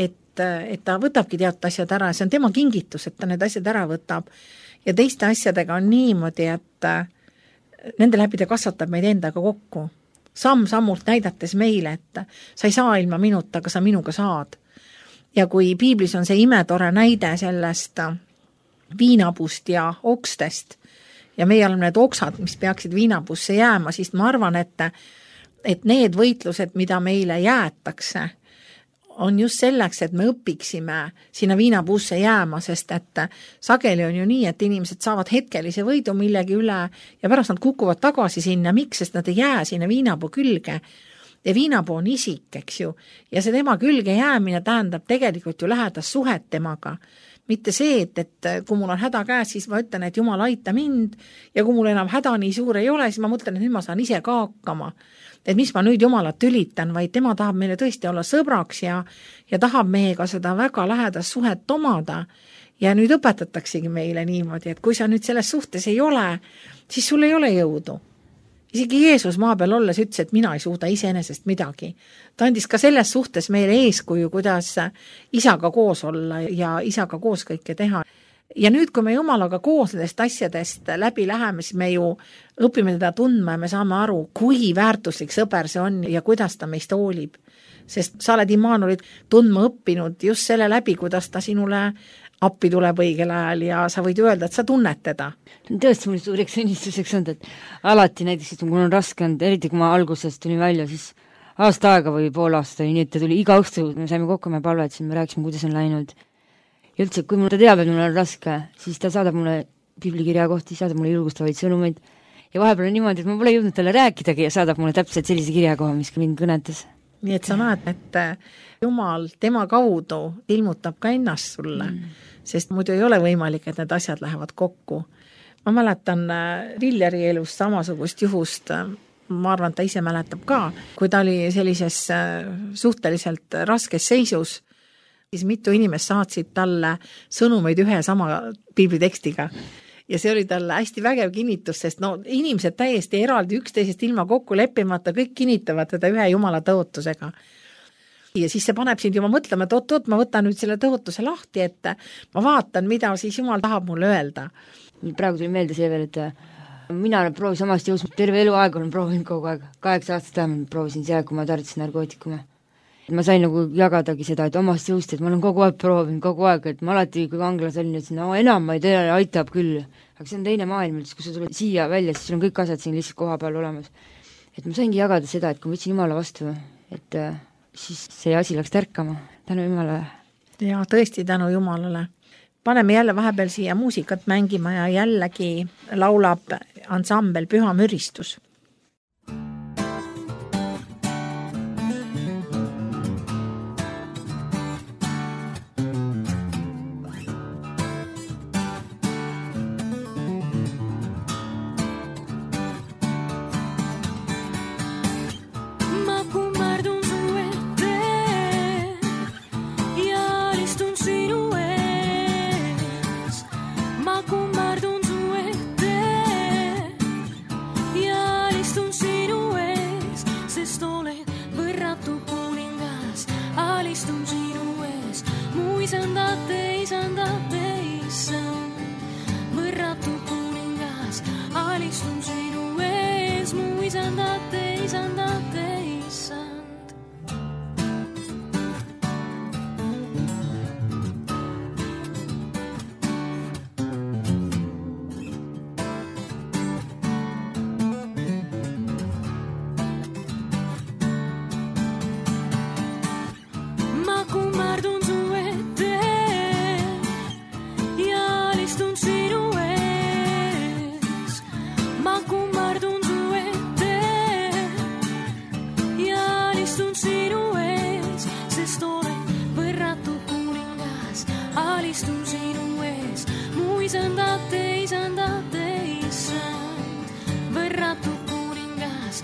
et, et ta võtabki teatud asjad ära ja see on tema kingitus, et ta need asjad ära võtab ja teiste asjadega on niimoodi, et nende läbi ta kasvatab meid endaga kokku. Samm-sammult näidates meile, et sa ei saa ilma minuta, aga sa minuga saad. Ja kui piiblis on see imetore näide sellest viinapust ja okstest ja meie oleme need oksad, mis peaksid viinapusse jääma, siis ma arvan, et, et need võitlused, mida meile jäetakse, on just selleks, et me õpiksime sinna viinapuusse jääma, sest et sageli on ju nii, et inimesed saavad hetkelise võidu millegi üle ja pärast nad kukuvad tagasi sinna, miks, sest nad ei jää sinna viinapuu külge. Ja viinapuu on isik, eks ju, ja see tema külge jäämine tähendab tegelikult ju lähedast suhet temaga. Mitte see, et, et kui mul on häda käes, siis ma ütlen, et Jumal aita mind ja kui mul enam häda nii suur ei ole, siis ma mõtlen, et nüüd ma saan ise ka hakkama. Et mis ma nüüd Jumalat ülitan, vaid tema tahab meile tõesti olla sõbraks ja, ja tahab meiega seda väga lähedast suhet omada. Ja nüüd õpetataksegi meile niimoodi, et kui sa nüüd selles suhtes ei ole, siis sul ei ole jõudu. Isegi Jeesus maa peal olles ütles, et mina ei suuda iseenesest midagi. Ta andis ka selles suhtes meile eeskuju, kuidas isaga koos olla ja isaga koos kõike teha. Ja nüüd, kui me Jumalaga koos nendest asjadest läbi läheme, siis me ju õpime teda tundma ja me saame aru, kui väärtuslik sõber see on ja kuidas ta meist hoolib. Sest sa oled Immanuelit tundma õppinud just selle läbi, kuidas ta sinule appi tuleb õigel ajal ja sa võid öelda, et sa tunned teda. Tõesti mul suureks õnnistuseks on, et alati näiteks, et mul on raske olnud, eriti kui ma alguses tulin välja, siis aasta aega või pool aasta, nii et ta tuli iga õhtu, me saime kokku, me palvetasin, me rääkisime, kuidas on läinud. Ja üldse, kui mul ta teab, et mul on raske, siis ta saadab mulle piiblikirja kohti, saadab mulle julgustavaid sõnumeid ja vahepeal on niimoodi, et ma pole jõudnud talle rääkidagi ja saadab mulle täpselt sellise kirja koha, mis mind kõnetas. Nii et sa näed, et Jumal tema kaudu ilmutab ka ennast sulle, mm. sest muidu ei ole võimalik, et need asjad lähevad kokku. Ma mäletan Villeri elust samasugust juhust, ma arvan, ta ise mäletab ka, kui ta oli sellises suhteliselt raskes seisus, siis mitu inimest saatsid talle sõnumeid ühe sama piiblitekstiga. Ja see oli talle hästi vägev kinnitus, sest no inimesed täiesti eraldi üksteisest ilma kokku leppimata, kõik kinnitavad teda ühe Jumala tõotusega. Ja siis see paneb sind juba mõtlema, et oot, oot, ma võtan nüüd selle tõotuse lahti, et ma vaatan, mida siis Jumal tahab mulle öelda. Praegu tuli meelde see veel, et mina olen proovis omast jõus, terve elu aeg olen proovinud kogu aeg, kaheksa aastat vähemalt proovisin see, kui ma tarvitasin narkootikume. Ma sain nagu jagadagi seda, et omast jõust, et ma olen kogu aeg proovinud, kogu aeg, et ma alati, kui anglas olin, et no enam ma ei tea, aitab küll. Aga see on teine maailm, kui sa tuled siia välja, siis sul on kõik asjad siin lihtsalt koha peal olemas. Et ma saingi jagada seda, et kui ma võtsin Jumala vastu, et siis see asi läks tärkama, tänu Jumalale. Ja tõesti tänu Jumalale. Paneme jälle vahepeal siia muusikat mängima ja jällegi laulab ansambel Püha müristus. isandate, isandate, isand, võrratu kuningas,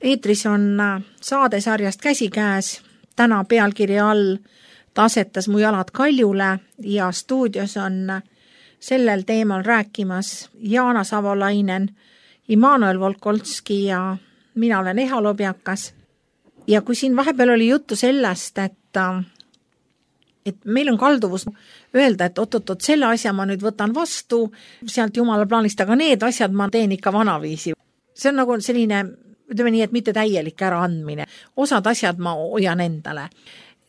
eetris on saadesarjast Käsikäes, täna pealkirja all Ta asetas mu jalad kaljule ja stuudios on sellel teemal rääkimas Jaana Savolainen, Immanuel Volkolski ja mina olen Eha Lobjakas. Ja kui siin vahepeal oli juttu sellest, et, et meil on kalduvus öelda, et oot-oot-oot, selle asja ma nüüd võtan vastu, sealt Jumala plaanist, aga need asjad ma teen ikka vanaviisi. See on nagu selline, ütleme nii, et mitte täielik äraandmine. Osad asjad ma hoian endale.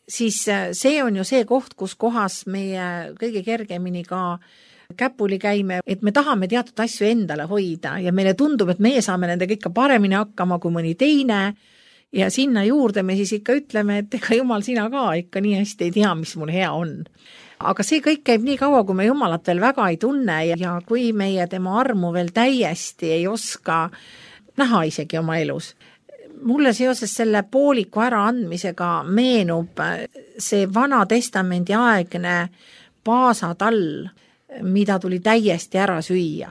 Siis see on ju see koht, kus kohas meie kõige kergemini ka käpuli käime, et me tahame teatud asju endale hoida ja meile tundub, et meie saame nendega ikka paremini hakkama kui mõni teine ja sinna juurde me siis ikka ütleme, et ega Jumal, sina ka ikka nii hästi ei tea, mis mul hea on. Aga see kõik käib nii kaua, kui me Jumalat veel väga ei tunne ja kui meie tema armu veel täiesti ei oska näha isegi oma elus. Mulle seoses selle pooliku äraandmisega meenub see Vana Testamendi aegne paasatall, mida tuli täiesti ära süüa.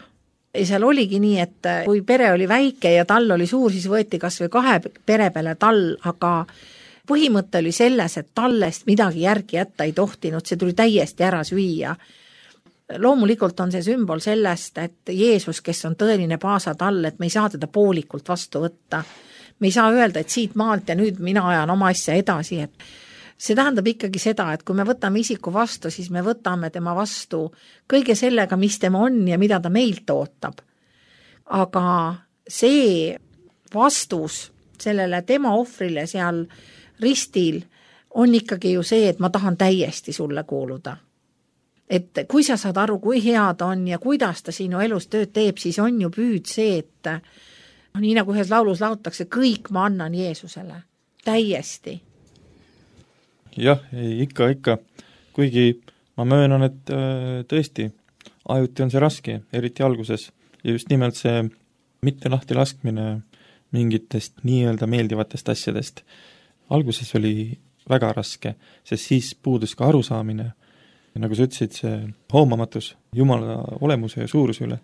Ja seal oligi nii, et kui pere oli väike ja tall oli suur, siis võeti kas või kahe pere peale tall, aga põhimõte oli selles, et tallest midagi järgi jätta ei tohtinud, see tuli täiesti ära süüa. Loomulikult on see sümbol sellest, et Jeesus, kes on tõeline paasatall, et me ei saa teda poolikult vastu võtta. Me ei saa öelda, et siit maalt ja nüüd mina ajan oma asja edasi, et see tähendab ikkagi seda, et kui me võtame isiku vastu, siis me võtame tema vastu kõige sellega, mis tema on ja mida ta meilt ootab. Aga see vastus sellele tema ohvrile seal ristil on ikkagi ju see, et ma tahan täiesti sulle kuuluda. Et kui sa saad aru, kui hea ta on ja kuidas ta sinu elus tööd teeb, siis on ju püüd see, et nii nagu ühes laulus lautakse, kõik ma annan Jeesusele. Täiesti. Jah, ikka, ikka. Kuigi ma möönan, et tõesti, ajuti on see raske, eriti alguses. Ja just nimelt see mitte lahti laskmine mingitest nii-öelda meeldivatest asjadest. Alguses oli väga raske, sest siis puudus ka arusaamine. Ja nagu sa ütlesid, see hoomamatus Jumala olemuse ja suuruse üle.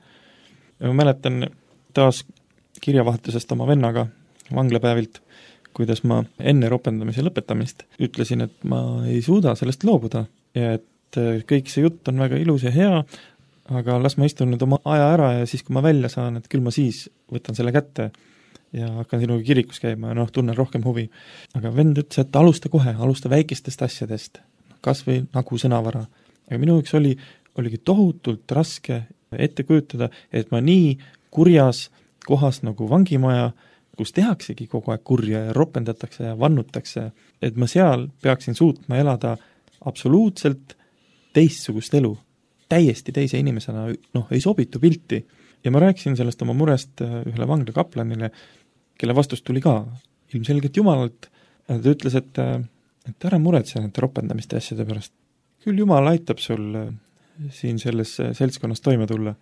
Ja ma mäletan taas kirjavahetusest oma vennaga vanglapäevilt, kuidas ma enne ropendamise lõpetamist ütlesin, et ma ei suuda sellest loobuda ja et kõik see jutt on väga ilus ja hea, aga las ma istun nüüd oma aja ära ja siis, kui ma välja saan, et küll ma siis võtan selle kätte ja hakkan sinuga kirikus käima ja noh, tunnen rohkem huvi. Aga vend ütles, et alusta kohe, alusta väikestest asjadest, kas või nagu sõnavara. Aga minu üks oli, oligi tohutult raske ette kujutada, et ma nii kurjas kohas nagu vangimaja, kus tehaksegi kogu aeg kurja ja ropendatakse ja vannutakse, et ma seal peaksin suutma elada absoluutselt teistsugust elu, täiesti teise inimesena, noh, ei sobitu pilti. Ja ma rääkisin sellest oma murest ühele vangla kaplanile, kelle vastus tuli ka ilmselgelt Jumalalt. Ta ütles, et, et ära muretse nende ropendamiste asjade pärast. Küll Jumal aitab sul siin selles seltskonnas toime tulla.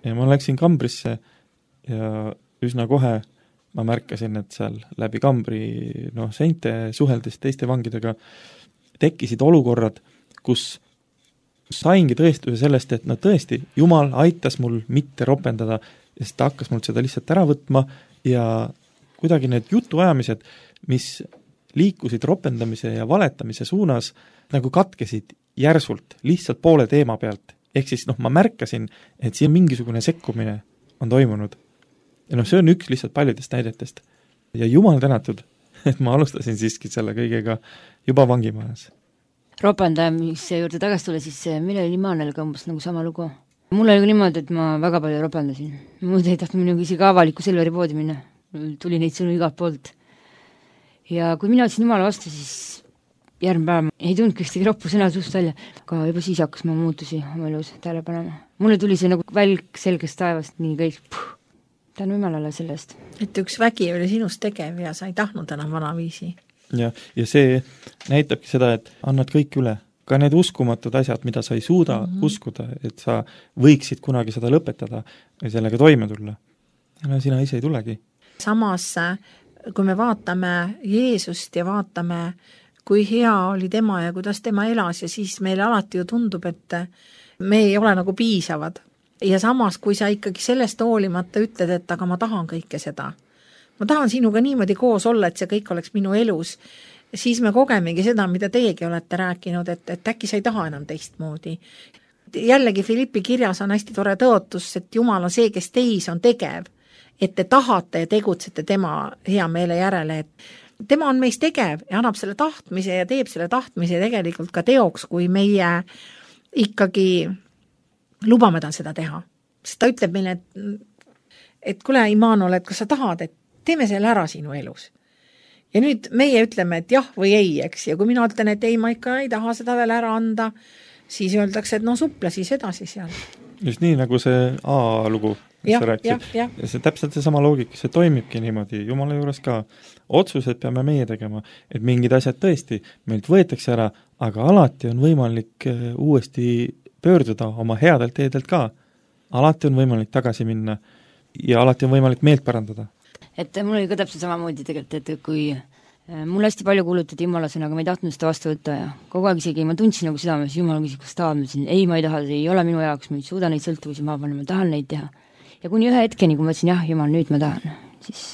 Ja ma läksin kambrisse ja üsna kohe ma märkasin, et seal läbi kambri noh, seinte suheldes teiste vangidega tekkisid olukorrad, kus saingi tõestuse sellest, et no tõesti, Jumal aitas mul mitte ropendada, sest ta hakkas mul seda lihtsalt ära võtma ja kuidagi need jutuajamised, mis liikusid ropendamise ja valetamise suunas, nagu katkesid järsult, lihtsalt poole teema pealt. Ehk siis noh, ma märkasin, et siin mingisugune sekkumine on toimunud. Ja noh, see on üks lihtsalt paljudest näidetest. Ja Jumal tänatud, et ma alustasin siiski selle kõigega juba vangimajas. Ropendamise juurde tagasi tule, siis meil oli Immanuel ka umbes nagu sama lugu. Mul oli niimoodi, et ma väga palju ropendasin. Muud ei tahtnud minuga isegi avaliku Selveri poodi minna. Tuli neid sõnu igalt poolt. Ja kui mina ütlesin Jumala vastu, siis järgmine päev ei tundnud kõstegi roppu sõna suust välja. Aga juba siis hakkas ma muutusi oma elus tähele panema. Mulle tuli see nagu välk selgest taevast nii kõik. Puh. Tänu Jumalale sellest. Et üks vägi oli sinust tegev ja sa ei tahtnud enam vanaviisi. Ja, ja see näitabki seda, et annad kõik üle. Ka need uskumatud asjad, mida sa ei suuda mm-hmm. uskuda, et sa võiksid kunagi seda lõpetada ja sellega toime tulla. Ja sina ise ei tulegi. Samas, kui me vaatame Jeesust ja vaatame, kui hea oli tema ja kuidas tema elas ja siis meile alati ju tundub, et me ei ole nagu piisavad. Ja samas, kui sa ikkagi sellest hoolimata ütled, et aga ma tahan kõike seda, ma tahan sinuga niimoodi koos olla, et see kõik oleks minu elus, siis me kogemegi seda, mida teiegi olete rääkinud, et, et äkki sa ei taha enam teistmoodi. Jällegi Filippi kirjas on hästi tore tõotus, et Jumal on see, kes teis on tegev, et te tahate ja tegutsete tema hea meele järele, et tema on meis tegev ja annab selle tahtmise ja teeb selle tahtmise tegelikult ka teoks, kui meie ikkagi lubame tal seda teha. Sest ta ütleb meile, et, et kuule, Immanuel, et kas sa tahad, et teeme selle ära sinu elus. Ja nüüd meie ütleme, et jah või ei, eks, ja kui mina ütlen, et ei, ma ikka ei taha seda veel ära anda, siis öeldakse, et no suple siis edasi seal. Just nii, nagu see A-lugu, mis ja, sa rääkisid. Ja, ja. See täpselt see sama loogika, see toimibki niimoodi Jumala juures ka. Otsused peame meie tegema, et mingid asjad tõesti meilt võetakse ära, aga alati on võimalik uuesti pöörduda oma headelt teedelt ka. Alati on võimalik tagasi minna ja alati on võimalik meelt parandada. Et mul oli ka täpselt samamoodi tegelikult, et kui mul hästi palju kuulutati Jumalasena, aga ma ei tahtnud seda vastu võtta ja kogu aeg isegi ma tundsin nagu südames, Jumal küsis, kas tahad, ma ütlesin, ei, ma ei taha, see ei ole minu jaoks, ma ei suuda neid sõltuvusi maha panna, ma tahan neid teha. Ja kuni ühe hetkeni, kui ma ütlesin, jah, Jumal, nüüd ma tahan, siis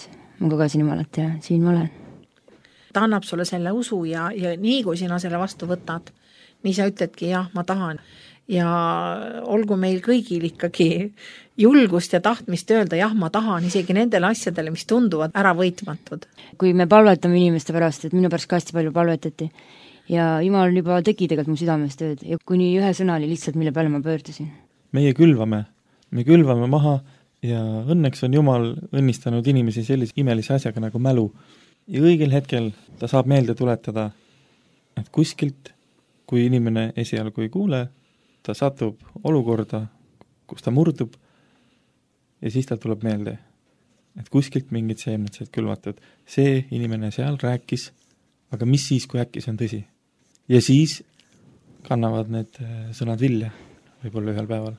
ma kogesin Jumalat ja siin ma olen. Ta annab sulle selle usu ja, ja nii kui sina selle vastu võtad, nii sa ütledki, jah, ma tahan. Ja olgu meil kõigil ikkagi julgust ja tahtmist öelda, jah, ma tahan isegi nendele asjadele, mis tunduvad ära võitmatud. Kui me palvetame inimeste pärast, et minu pärast ka hästi palju palvetati ja Jumal juba tegi tegelikult mu südames tööd ja kuni ühe sõna oli lihtsalt, mille peale ma pöördusin. Meie külvame, me külvame maha ja õnneks on Jumal õnnistanud inimesi sellise imelise asjaga nagu mälu. Ja õigel hetkel ta saab meelde tuletada, et kuskilt, kui inimene esialgu ei kuule, ta satub olukorda, kus ta murdub ja siis ta tuleb meelde, et kuskilt mingid seemned sealt külvatud. See inimene seal rääkis, aga mis siis, kui äkki see on tõsi? Ja siis kannavad need sõnad vilja võib-olla ühel päeval.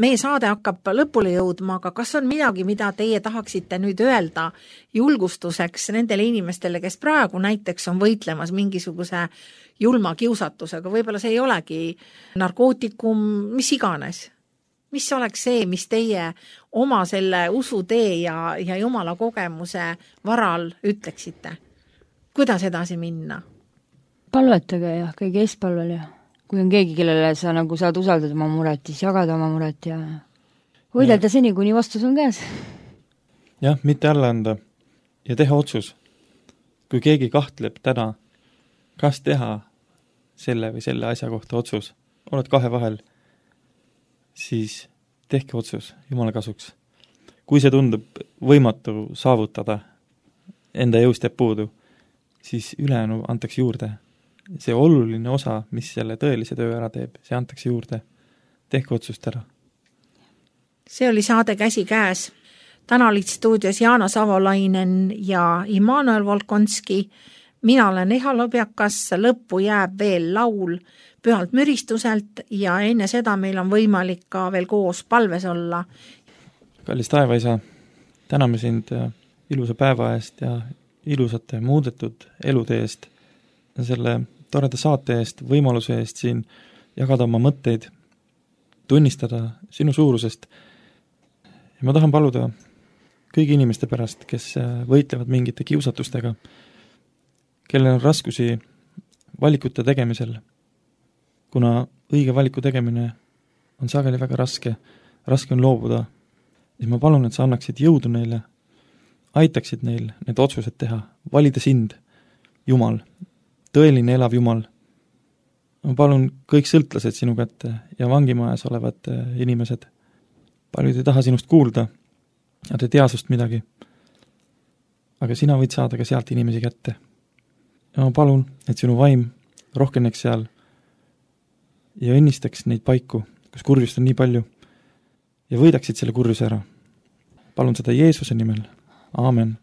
Meie saade hakkab lõpule jõudma, aga kas on midagi, mida teie tahaksite nüüd öelda julgustuseks nendele inimestele, kes praegu näiteks on võitlemas mingisuguse julma kiusatusega, võib-olla see ei olegi narkootikum, mis iganes. Mis oleks see, mis teie oma selle usutee ja, ja Jumala kogemuse varal ütleksite? Kuidas edasi minna? Palvetage ja kõige eespalvel ja kui on keegi, kellele sa nagu saad usaldada oma muret, siis jagada oma muret ja võidelda seni, kuni vastus on käes. Jah, mitte alla anda ja teha otsus. Kui keegi kahtleb täna, kas teha selle või selle asja kohta otsus, oled kahe vahel, siis tehke otsus Jumala kasuks. Kui see tundub võimatu saavutada, enda jõust jääb puudu, siis ülejäänu antakse juurde. See oluline osa, mis selle tõelise töö ära teeb, see antakse juurde. Tehke otsust ära. See oli saade Käsi käes. Täna olid stuudios Jaana Savolainen ja Immanuel Volkonski. Mina olen Eha Lobjakas, lõppu jääb veel laul Pühalt müristuselt ja enne seda meil on võimalik ka veel koos palves olla. Kallis taevaisa, täname sind ilusa päeva eest ja ilusate muudetud elude eest, selle toreda saate eest, võimaluse eest siin jagada oma mõtteid, tunnistada sinu suurusest. Ja ma tahan paluda kõigi inimeste pärast, kes võitlevad mingite kiusatustega, kellel on raskusi valikute tegemisel, kuna õige valiku tegemine on sageli väga raske, raske on loobuda, siis ma palun, et sa annaksid jõudu neile, aitaksid neil need otsused teha, valida sind, Jumal, tõeline elav Jumal. Ma palun kõik sõltlased sinu kätte ja vangimajas olevad inimesed. Paljud ei taha sinust kuulda, nad ei tea sust midagi. Aga sina võid saada ka sealt inimesi kätte. Ja ma palun, et sinu vaim rohkeneks seal ja õnnistaks neid paiku, kus kurjust on nii palju ja võidaksid selle kurjuse ära. Palun seda Jeesuse nimel. Aamen.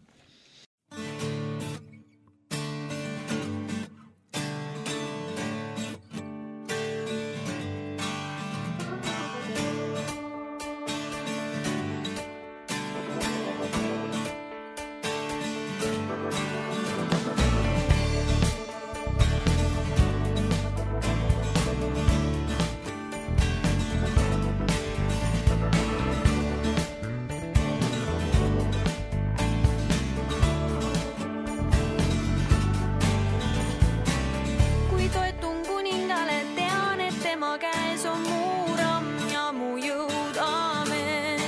tema käes on mu ramm ja mu jõud, aamen.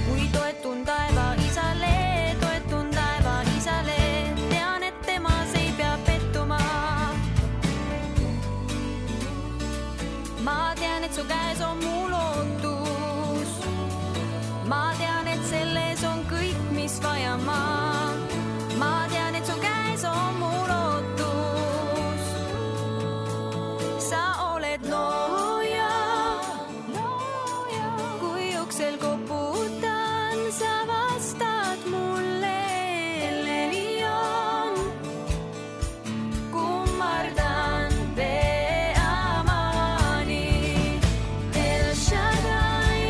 Kui toetun taeva isale, toetun taeva isale, tean, et temas ei pea pettuma. Ma tean, et su käes on mu lootus. Ma tean, et selles on kõik, mis vaja ma. Ma tean, et su käes on mu lootus. Sa oled looja, kui uksel koputan, sa vastad mulle. Elelion, kummardan peamani. El Shaddai,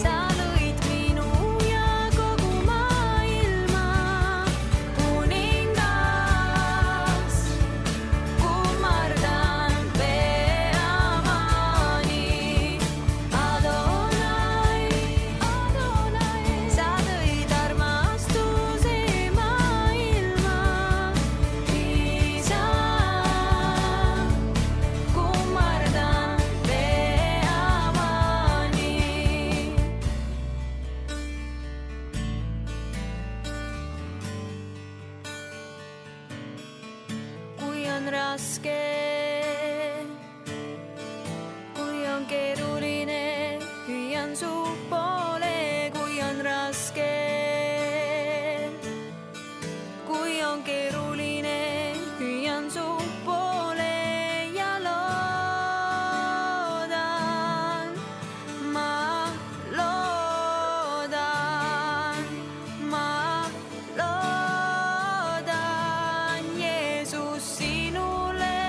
sa lõid minu ja kogu maailma. Kuningas, kummardan peamani. Adonai, Adonai, sa tõid armastuse maailma. Isa, kummardan peamani. Kui on raske, kui on keeruline, hüüan su poole, kui on raske. Kui on keeruline, hüüan su poole ja loodan, ma loodan, ma loodan Jeesus sinule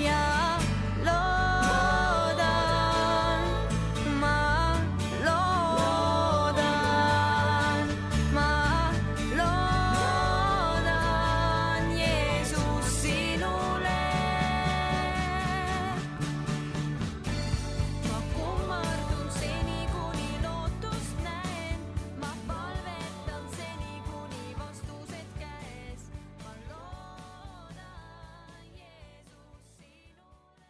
ja loodan, ma loodan, ma loodan Jeesus sinule. Ma kummardun seni, kuni lootust näen. Ma palvetan seni, kuni vastused käes. Ma loodan Jeesus sinule.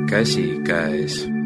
Käsi käes.